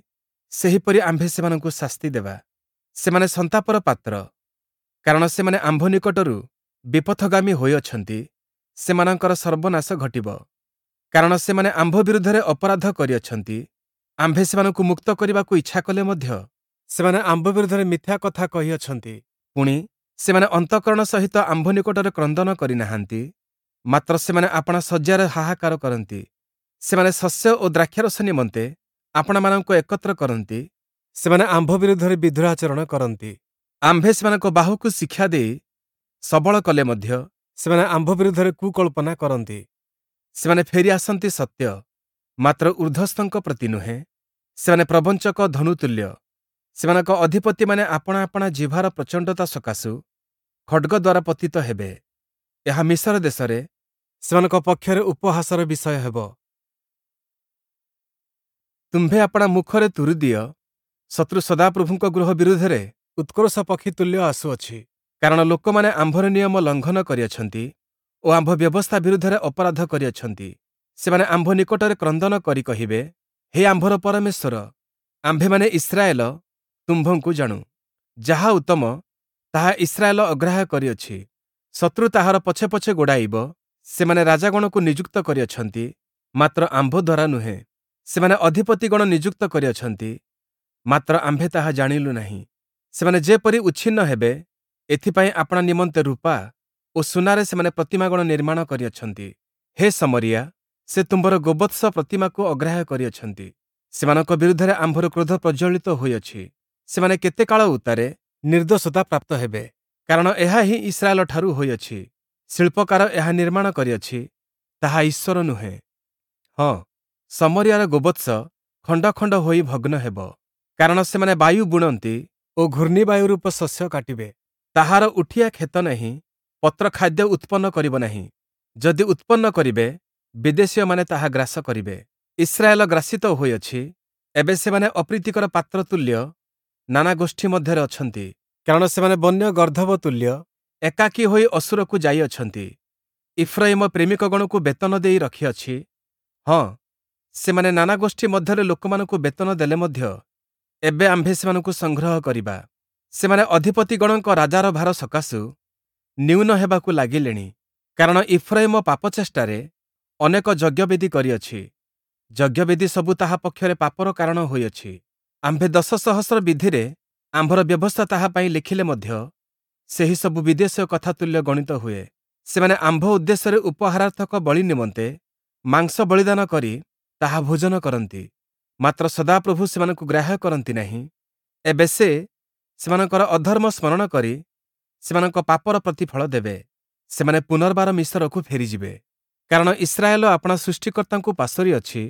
ସେହିପରି ଆମ୍ଭେ ସେମାନଙ୍କୁ ଶାସ୍ତି ଦେବା। ସେମାନେ ସନ୍ତାପର ପାତ୍ର, କାରଣ ସେମାନେ ଆମ୍ଭ ନିକଟରୁ ବିପଥଗାମୀ ହୋଇଅଛନ୍ତି। ସେମାନଙ୍କର ସର୍ବନାଶ ଘଟିବ, କାରଣ ସେମାନେ ଆମ୍ଭ ବିରୁଦ୍ଧରେ ଅପରାଧ କରିଅଛନ୍ତି। ଆମ୍ଭେ ସେମାନଙ୍କୁ ମୁକ୍ତ କରିବାକୁ ଇଚ୍ଛା କଲେ ମଧ୍ୟ ସେମାନେ ଆମ୍ଭ ବିରୁଦ୍ଧରେ ମିଥ୍ୟା କଥା କହିଅଛନ୍ତି। ପୁଣି, ସେମାନେ ଅନ୍ତଃକରଣ ସହିତ ଆମ୍ଭ ନିକଟରେ କ୍ରନ୍ଦନ କରିନାହାନ୍ତି, ମାତ୍ର ସେମାନେ ଆପଣା ଶଯ୍ୟାରେ ହାହାକାର କରନ୍ତି। ସେମାନେ ଶସ୍ୟ ଓ ଦ୍ରାକ୍ଷାରସ ନିମନ୍ତେ ଆପଣାମାନଙ୍କୁ ଏକତ୍ର କରନ୍ତି। ସେମାନେ ଆମ୍ଭ ବିରୁଦ୍ଧରେ ବିଦ୍ରୋହାଚରଣ କରନ୍ତି। ଆମ୍ଭେ ସେମାନଙ୍କ ବାହୁକୁ ଶିକ୍ଷା ଦେଇ ସବଳ କଲେ ମଧ୍ୟ ସେମାନେ ଆମ୍ଭ ବିରୁଦ୍ଧରେ କୁକଳ୍ପନା କରନ୍ତି। ସେମାନେ ଫେରି ଆସନ୍ତି ସତ୍ୟ, ମାତ୍ର ଊର୍ଦ୍ଧ୍ୱସ୍ଥଙ୍କ ପ୍ରତି ନୁହେଁ। ସେମାନେ ପ୍ରବଞ୍ଚକ ଧନୁତୁଲ୍ୟ। ସେମାନଙ୍କ ଅଧିପତିମାନେ ଆପଣା ଆପଣା ଜିହ୍ବାର ପ୍ରଚଣ୍ଡତା ସକାଶୁ ଖଡ଼୍ଗ ଦ୍ୱାରା ପତିତ ହେବେ। ଏହା ମିଶର ଦେଶରେ ସେମାନଙ୍କ ପକ୍ଷରେ ଉପହାସର ବିଷୟ ହେବ। ତୁମ୍ଭେ ଆପଣା ମୁଖରେ ତୁରୀ ଦିଅ, ଶତ୍ରୁ ସଦାପ୍ରଭୁଙ୍କ ଗୃହ ବିରୁଦ୍ଧରେ ଉତ୍କ୍ରୋଶ ପକ୍ଷୀ ତୁଲ୍ୟ ଆସୁଅଛି। କାରଣ ଲୋକମାନେ ଆମ୍ଭର ନିୟମ ଲଙ୍ଘନ କରିଅଛନ୍ତି ଓ ଆମ୍ଭ ବ୍ୟବସ୍ଥା ବିରୁଦ୍ଧରେ ଅପରାଧ କରିଅଛନ୍ତି। ସେମାନେ ଆମ୍ଭ ନିକଟରେ କ୍ରନ୍ଦନ କରି କହିବେ, ହେ ଆମ୍ଭର ପରମେଶ୍ୱର, ଆମ୍ଭେମାନେ ଇସ୍ରାଏଲ ତୁମ୍ଭଙ୍କୁ ଜାଣୁ। ଯାହା ଉତ୍ତମ, ତାହା ଇସ୍ରାଏଲ ଅଗ୍ରାହ୍ୟ କରିଅଛି। ଶତ୍ରୁ ତାହାର ପଛେ ପଛେ ଗୋଡ଼ାଇବ। ସେମାନେ ରାଜାଗଣକୁ ନିଯୁକ୍ତ କରିଅଛନ୍ତି, ମାତ୍ର ଆମ୍ଭ ଦ୍ୱାରା ନୁହେଁ। ସେମାନେ ଅଧିପତିଗଣ ନିଯୁକ୍ତ କରିଅଛନ୍ତି, ମାତ୍ର ଆମ୍ଭେ ତାହା ଜାଣିଲୁ ନାହିଁ। ସେମାନେ ଯେପରି ଉଚ୍ଛିନ୍ନ ହେବେ, ଏଥିପାଇଁ ଆପଣା ନିମନ୍ତେ ରୂପା ଓ ସୁନାରେ ସେମାନେ ପ୍ରତିମାଗଣ ନିର୍ମାଣ କରିଅଛନ୍ତି। ହେ ଶମରିୟା, ସେ ତୁମ୍ଭର ଗୋବତ୍ସ ପ୍ରତିମାକୁ ଅଗ୍ରାହ୍ୟ କରିଅଛନ୍ତି। ସେମାନଙ୍କ ବିରୁଦ୍ଧରେ ଆମ୍ଭର କ୍ରୋଧ ପ୍ରଜ୍ୱଳିତ ହୋଇଅଛି। ସେମାନେ କେତେ କାଳ ଉତ୍ତାରେ ନିର୍ଦ୍ଦୋଷତା ପ୍ରାପ୍ତ ହେବେ? କାରଣ ଏହା ହିଁ ଇସ୍ରାଏଲଠାରୁ ହୋଇଅଛି। ଶିଳ୍ପକାର ଏହା ନିର୍ମାଣ କରିଅଛି, ତାହା ଈଶ୍ୱର ନୁହେଁ। ହଁ, ଶମରିୟାର ଗୋବତ୍ସ ଖଣ୍ଡ ଖଣ୍ଡ ହୋଇ ଭଗ୍ନ ହେବ, କାରଣ ସେମାନେ ବାୟୁ ବୁଣନ୍ତି ଓ ଘୂର୍ଣ୍ଣିବାୟୁ ରୂପ ଶସ୍ୟ କାଟିବେ। ତାହାର ଉଠିଆ କ୍ଷେତ ନାହିଁ, ପତ୍ର ଖାଦ୍ୟ ଉତ୍ପନ୍ନ କରିବ ନାହିଁ। ଯଦି ଉତ୍ପନ୍ନ କରିବେ, ବିଦେଶୀୟମାନେ ତାହା ଗ୍ରାସ କରିବେ। ଇସ୍ରାଏଲ ଗ୍ରାସିତ ହୋଇଅଛି, ଏବେ ସେମାନେ ଅପ୍ରୀତିକର ପାତ୍ର ତୁଲ୍ୟ ନାନା ଗୋଷ୍ଠୀ ମଧ୍ୟରେ ଅଛନ୍ତି। କାରଣ ସେମାନେ ବନ୍ୟ ଗର୍ଦ୍ଦଭ ତୁଲ୍ୟ ଏକାକୀ ହୋଇ ଅଶୂରକୁ ଯାଇଅଛନ୍ତି। ଇଫ୍ରାଇମ ପ୍ରେମିକଗଣକୁ ବେତନ ଦେଇ ରଖିଅଛି। ହଁ, ସେମାନେ ନାନା ଗୋଷ୍ଠୀ ମଧ୍ୟରେ ଲୋକମାନଙ୍କୁ ବେତନ ଦେଲେ ମଧ୍ୟ ଏବେ ଆମ୍ଭେ ସେମାନଙ୍କୁ ସଂଗ୍ରହ କରିବା। ସେମାନେ ଅଧିପତିଗଣଙ୍କ ରାଜାର ଭାର ସକାଶୁ ନ୍ୟୁନ ହେବାକୁ ଲାଗିଲେଣି, କାରଣ ଇଫ୍ରାଇମ ପାପଚେଷ୍ଟାରେ ଅନେକ ଯଜ୍ଞବେଦି କରିଅଛି। ଯଜ୍ଞବେଦି ସବୁ ତାହା ପକ୍ଷରେ ପାପର କାରଣ ହୋଇଅଛି। ଆମ୍ଭେ ଦଶ ସହସ୍ର ବିଧିରେ ଆମ୍ଭର ବ୍ୟବସ୍ଥା ତାହା ପାଇଁ ଲେଖିଲେ ମଧ୍ୟ ସେହି ସବୁ ବିଦେଶୀୟ କଥା ତୁଲ୍ୟ ଗଣିତ ହୁଏ। ସେମାନେ ଆମ୍ଭ ଉଦ୍ଦେଶ୍ୟରେ ଉପହାରାର୍ଥକ ବଳି ନିମନ୍ତେ ମାଂସ ବଳିଦାନ କରି ତାହା ଭୋଜନ କରନ୍ତି, ମାତ୍ର ସଦାପ୍ରଭୁ ସେମାନଙ୍କୁ ଗ୍ରାହ୍ୟ କରନ୍ତି ନାହିଁ। ଏବେ ସେ ସେମାନଙ୍କର ଅଧର୍ମ ସ୍ମରଣ କରି ସେମାନଙ୍କ ପାପର ପ୍ରତିଫଳ ଦେବେ। ସେମାନେ ପୁନର୍ବାର ମିଶରକୁ ଫେରିଯିବେ, କାରଣ ଇସ୍ରାଏଲ ଆପଣା ସୃଷ୍ଟିକର୍ତ୍ତାଙ୍କୁ ପାସୋରିଅଛି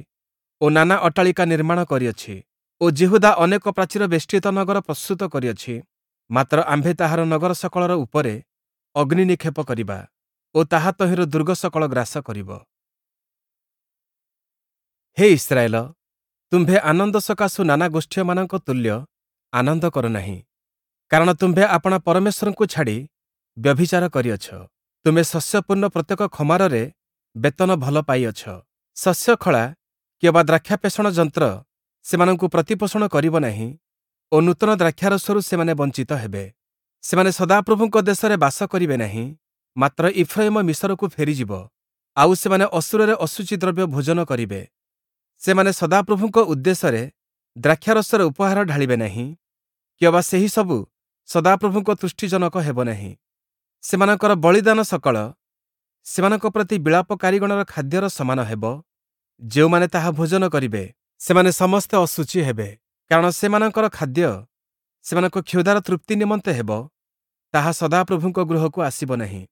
ଓ ନାନା ଅଟ୍ଟାଳିକା ନିର୍ମାଣ କରିଅଛି ଓ ଯିହୁଦା ଅନେକ ପ୍ରାଚୀର ବେଷ୍ଟିତ ନଗର ପ୍ରସ୍ତୁତ କରିଅଛି। ମାତ୍ର ଆମ୍ଭେ ତାହାର ନଗର ସକଳର ଉପରେ ଅଗ୍ନି ନିକ୍ଷେପ କରିବା ଓ ତାହା ତହିଁର ଦୁର୍ଗ ସକଳ ଗ୍ରାସ କରିବ। ହେ ଇସ୍ରାଏଲ, ତୁମ୍ଭେ ଆନନ୍ଦ ସକାଶୁ ନାନା ଗୋଷ୍ଠୀୟମାନଙ୍କ ତୁଲ୍ୟ ଆନନ୍ଦ କର ନାହିଁ, କାରଣ ତୁମ୍ଭେ ଆପଣା ପରମେଶ୍ୱରଙ୍କୁ ଛାଡ଼ି ବ୍ୟଭିଚାର କରିଅଛ। ତୁମେ ଶସ୍ୟପୂର୍ଣ୍ଣ ପ୍ରତ୍ୟେକ ଖମାରରେ ବେତନ ଭଲ ପାଇଅଛ। ଶସ୍ୟଖଳା କିଅବା ଦ୍ରାକ୍ଷାପେଷଣ ଯନ୍ତ୍ର ସେମାନଙ୍କୁ ପ୍ରତିପୋଷଣ କରିବ ନାହିଁ ଓ ନୂତନ ଦ୍ରାକ୍ଷାରସରୁ ସେମାନେ ବଞ୍ଚିତ ହେବେ। ସେମାନେ ସଦାପ୍ରଭୁଙ୍କ ଦେଶରେ ବାସ କରିବେ ନାହିଁ, ମାତ୍ର ଇଫ୍ରୟିମ ମିସରକୁ ଫେରିଯିବ, ଆଉ ସେମାନେ ଅଶୂରରେ ଅଶୁଚି ଦ୍ରବ୍ୟ ଭୋଜନ କରିବେ। ସେମାନେ ସଦାପ୍ରଭୁଙ୍କ ଉଦ୍ଦେଶ୍ୟରେ ଦ୍ରାକ୍ଷାରସର ଉପହାର ଢାଳିବେ ନାହିଁ, କିଅବା ସେହିସବୁ ସଦାପ୍ରଭୁଙ୍କ ତୁଷ୍ଟିଜନକ ହେବ ନାହିଁ। ସେମାନଙ୍କର ବଳିଦାନ ସକଳ ସେମାନଙ୍କ ପ୍ରତି ବିଳାପକାରୀଗଣର ଖାଦ୍ୟର ସମାନ ହେବ। ଯେଉଁମାନେ ତାହା ଭୋଜନ କରିବେ, ସେମାନେ ସମସ୍ତେ ଅଶୁଚି ହେବେ, କାରଣ ସେମାନଙ୍କର ଖାଦ୍ୟ ସେମାନଙ୍କ କ୍ଷୁଧାର ତୃପ୍ତି ନିମନ୍ତେ ହେବ, ତାହା ସଦାପ୍ରଭୁଙ୍କ ଗୃହକୁ ଆସିବ ନାହିଁ।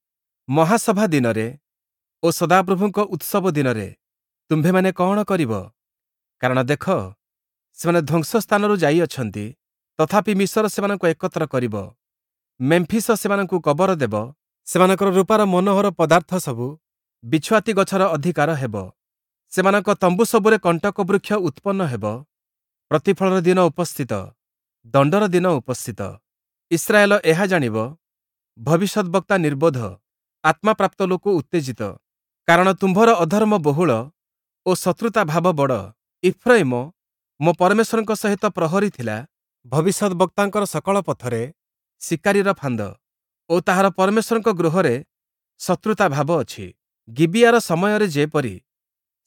ମହାସଭା ଦିନରେ ଓ ସଦାପ୍ରଭୁଙ୍କ ଉତ୍ସବ ଦିନରେ ତୁମ୍ଭେମାନେ କଅଣ କରିବ? କାରଣ ଦେଖ, ସେମାନେ ଧ୍ୱଂସ ସ୍ଥାନରୁ ଯାଇଅଛନ୍ତି, ତଥାପି ମିସର ସେମାନଙ୍କୁ ଏକତ୍ର କରିବ, ମେମ୍ଫିସ ସେମାନଙ୍କୁ କବର ଦେବ। ସେମାନଙ୍କର ରୂପାର ମନୋହର ପଦାର୍ଥ ସବୁ ବିଛୁଆତି ଗଛର ଅଧିକାର ହେବ, ସେମାନଙ୍କ ତମ୍ବୁ ସବୁରେ କଣ୍ଟକ ବୃକ୍ଷ ଉତ୍ପନ୍ନ ହେବ। ପ୍ରତିଫଳର ଦିନ ଉପସ୍ଥିତ, ଦଣ୍ଡର ଦିନ ଉପସ୍ଥିତ। ଇସ୍ରାଏଲ ଏହା ଜାଣିବ। ଭବିଷ୍ୟଦ୍‌ବକ୍ତା ନିର୍ବୋଧ, ଆତ୍ମାପ୍ରାପ୍ତ ଲୋକ ଉତ୍ତେଜିତ, କାରଣ ତୁମ୍ଭର ଅଧର୍ମ ବହୁଳ ଓ ଶତ୍ରୁତା ଭାବ ବଡ଼। ଇଫ୍ରୟିମ ମୋ ପରମେଶ୍ୱରଙ୍କ ସହିତ ପ୍ରହରୀ ଥିଲା, ଭବିଷ୍ୟଦ୍‌ବକ୍ତାଙ୍କର ସକଳ ପଥରେ ଶିକାରୀର ଫାନ୍ଦ ଓ ତାହାର ପରମେଶ୍ୱରଙ୍କ ଗୃହରେ ଶତ୍ରୁତା ଭାବ ଅଛି। ଗିବିୟାର ସମୟରେ ଯେପରି,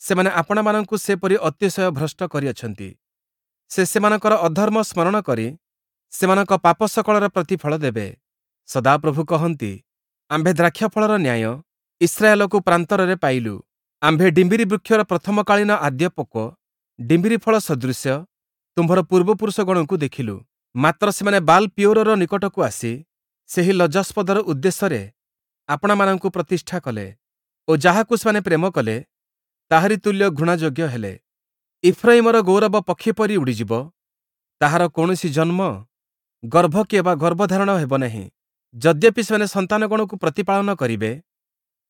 ସେମାନେ ଆପଣାମାନଙ୍କୁ ସେପରି ଅତିଶୟ ଭ୍ରଷ୍ଟ କରିଅଛନ୍ତି। ସେ ସେମାନଙ୍କର ଅଧର୍ମ ସ୍ମରଣ କରି ସେମାନଙ୍କ ପାପ ସକଳର ପ୍ରତିଫଳ ଦେବେ। ସଦାପ୍ରଭୁ କହନ୍ତି, ଆମ୍ଭେ ଦ୍ରାକ୍ଷାଫଳର ନ୍ୟାୟ ଇସ୍ରାଏଲକୁ ପ୍ରାନ୍ତରରେ ପାଇଲୁ। ଆମ୍ଭେ ଡିମ୍ବିରି ବୃକ୍ଷର ପ୍ରଥମକାଳୀନ ଆଦ୍ୟପକ୍ୱ ଡିମ୍ବିରି ଫଳ ସଦୃଶ୍ୟ ତୁମ୍ଭର ପୂର୍ବପୁରୁଷଗଣଙ୍କୁ ଦେଖିଲୁ। ମାତ୍ର ସେମାନେ ବାଲ୍ ପିୟୋରର ନିକଟକୁ ଆସି ସେହି ଲଜ୍ଜାସ୍ପଦର ଉଦ୍ଦେଶ୍ୟରେ ଆପଣାମାନଙ୍କୁ ପ୍ରତିଷ୍ଠା କଲେ ଓ ଯାହାକୁ ସେମାନେ ପ୍ରେମ କଲେ, ତାହାରି ତୁଲ୍ୟ ଘୃଣାଯୋଗ୍ୟ ହେଲେ। ଇଫ୍ରୟିମର ଗୌରବ ପକ୍ଷୀ ପରି ଉଡ଼ିଯିବ, ତାହାର କୌଣସି ଜନ୍ମ, ଗର୍ଭ କିଅବା ଗର୍ଭଧାରଣ ହେବ ନାହିଁ। ଯଦ୍ୟପି ସେମାନେ ସନ୍ତାନଗଣକୁ ପ୍ରତିପାଳନ କରିବେ,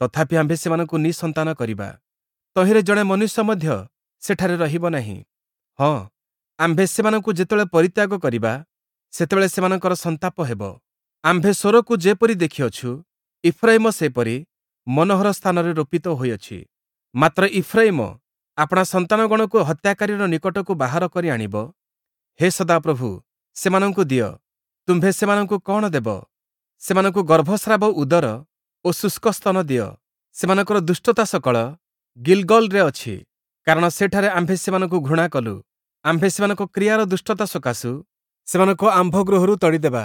ତଥାପି ଆମ୍ଭେ ସେମାନଙ୍କୁ ନିଃସନ୍ତାନ କରିବା। ତହିଁରେ ଜଣେ ମନୁଷ୍ୟ ମଧ୍ୟ ସେଠାରେ ରହିବ ନାହିଁ। ହଁ, ଆମ୍ଭେ ସେମାନଙ୍କୁ ଯେତେବେଳେ ପରିତ୍ୟାଗ କରିବା, ସେତେବେଳେ ସେମାନଙ୍କର ସନ୍ତାପ ହେବ। ଆମ୍ଭେ ସୋରକୁ ଯେପରି ଦେଖିଅଛୁ, ଇଫ୍ରୟିମ ସେପରି ମନୋହର ସ୍ଥାନରେ ରୋପିତ ହୋଇଅଛି। ମାତ୍ର ଇଫ୍ରୟିମ ଆପଣା ସନ୍ତାନଗଣକୁ ହତ୍ୟାକାରୀର ନିକଟକୁ ବାହାର କରି ଆଣିବ। ହେ ସଦାପ୍ରଭୁ, ସେମାନଙ୍କୁ ଦିଅ। ତୁମ୍ଭେ ସେମାନଙ୍କୁ କଅଣ ଦେବ? ସେମାନଙ୍କୁ ଗର୍ଭସ୍ରାବ ଉଦର ଓ ଶୁଷ୍କ ସ୍ତନ ଦିଅ। ସେମାନଙ୍କର ଦୁଷ୍ଟତା ସକଳ ଗିଲ୍ଗଲ୍‌ରେ ଅଛି, କାରଣ ସେଠାରେ ଆମ୍ଭେ ସେମାନଙ୍କୁ ଘୃଣା କଲୁ। ଆମ୍ଭେ ସେମାନଙ୍କ କ୍ରିୟାର ଦୁଷ୍ଟତା ସକାଶୁ ସେମାନଙ୍କୁ ଆମ୍ଭ ଗୃହରୁ ତଡ଼ିଦେବା।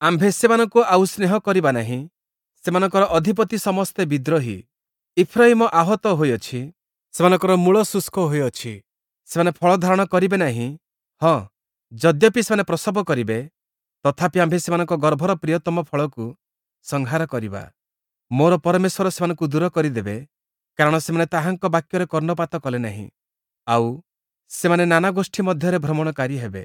ଆମ୍ଭେ ସେମାନଙ୍କୁ ଆଉ ସ୍ନେହ କରିବା ନାହିଁ। ସେମାନଙ୍କର ଅଧିପତି ସମସ୍ତେ ବିଦ୍ରୋହୀ। ଇଫ୍ରୟିମ ଆହତ ହୋଇଅଛି, ସେମାନଙ୍କର ମୂଳ ଶୁଷ୍କ ହୋଇଅଛି, ସେମାନେ ଫଳ ଧାରଣ କରିବେ ନାହିଁ। ହଁ, ଯଦ୍ୟପି ସେମାନେ ପ୍ରସବ କରିବେ, ତଥାପି ଆମ୍ଭେ ସେମାନଙ୍କ ଗର୍ଭର ପ୍ରିୟତମ ଫଳକୁ ସଂହାର କରିବା। ମୋର ପରମେଶ୍ୱର ସେମାନଙ୍କୁ ଦୂର କରିଦେବେ, କାରଣ ସେମାନେ ତାହାଙ୍କ ବାକ୍ୟରେ କର୍ଣ୍ଣପାତ କଲେ ନାହିଁ, ଆଉ ସେମାନେ ନାନା ଗୋଷ୍ଠୀ ମଧ୍ୟରେ ଭ୍ରମଣକାରୀ ହେବେ।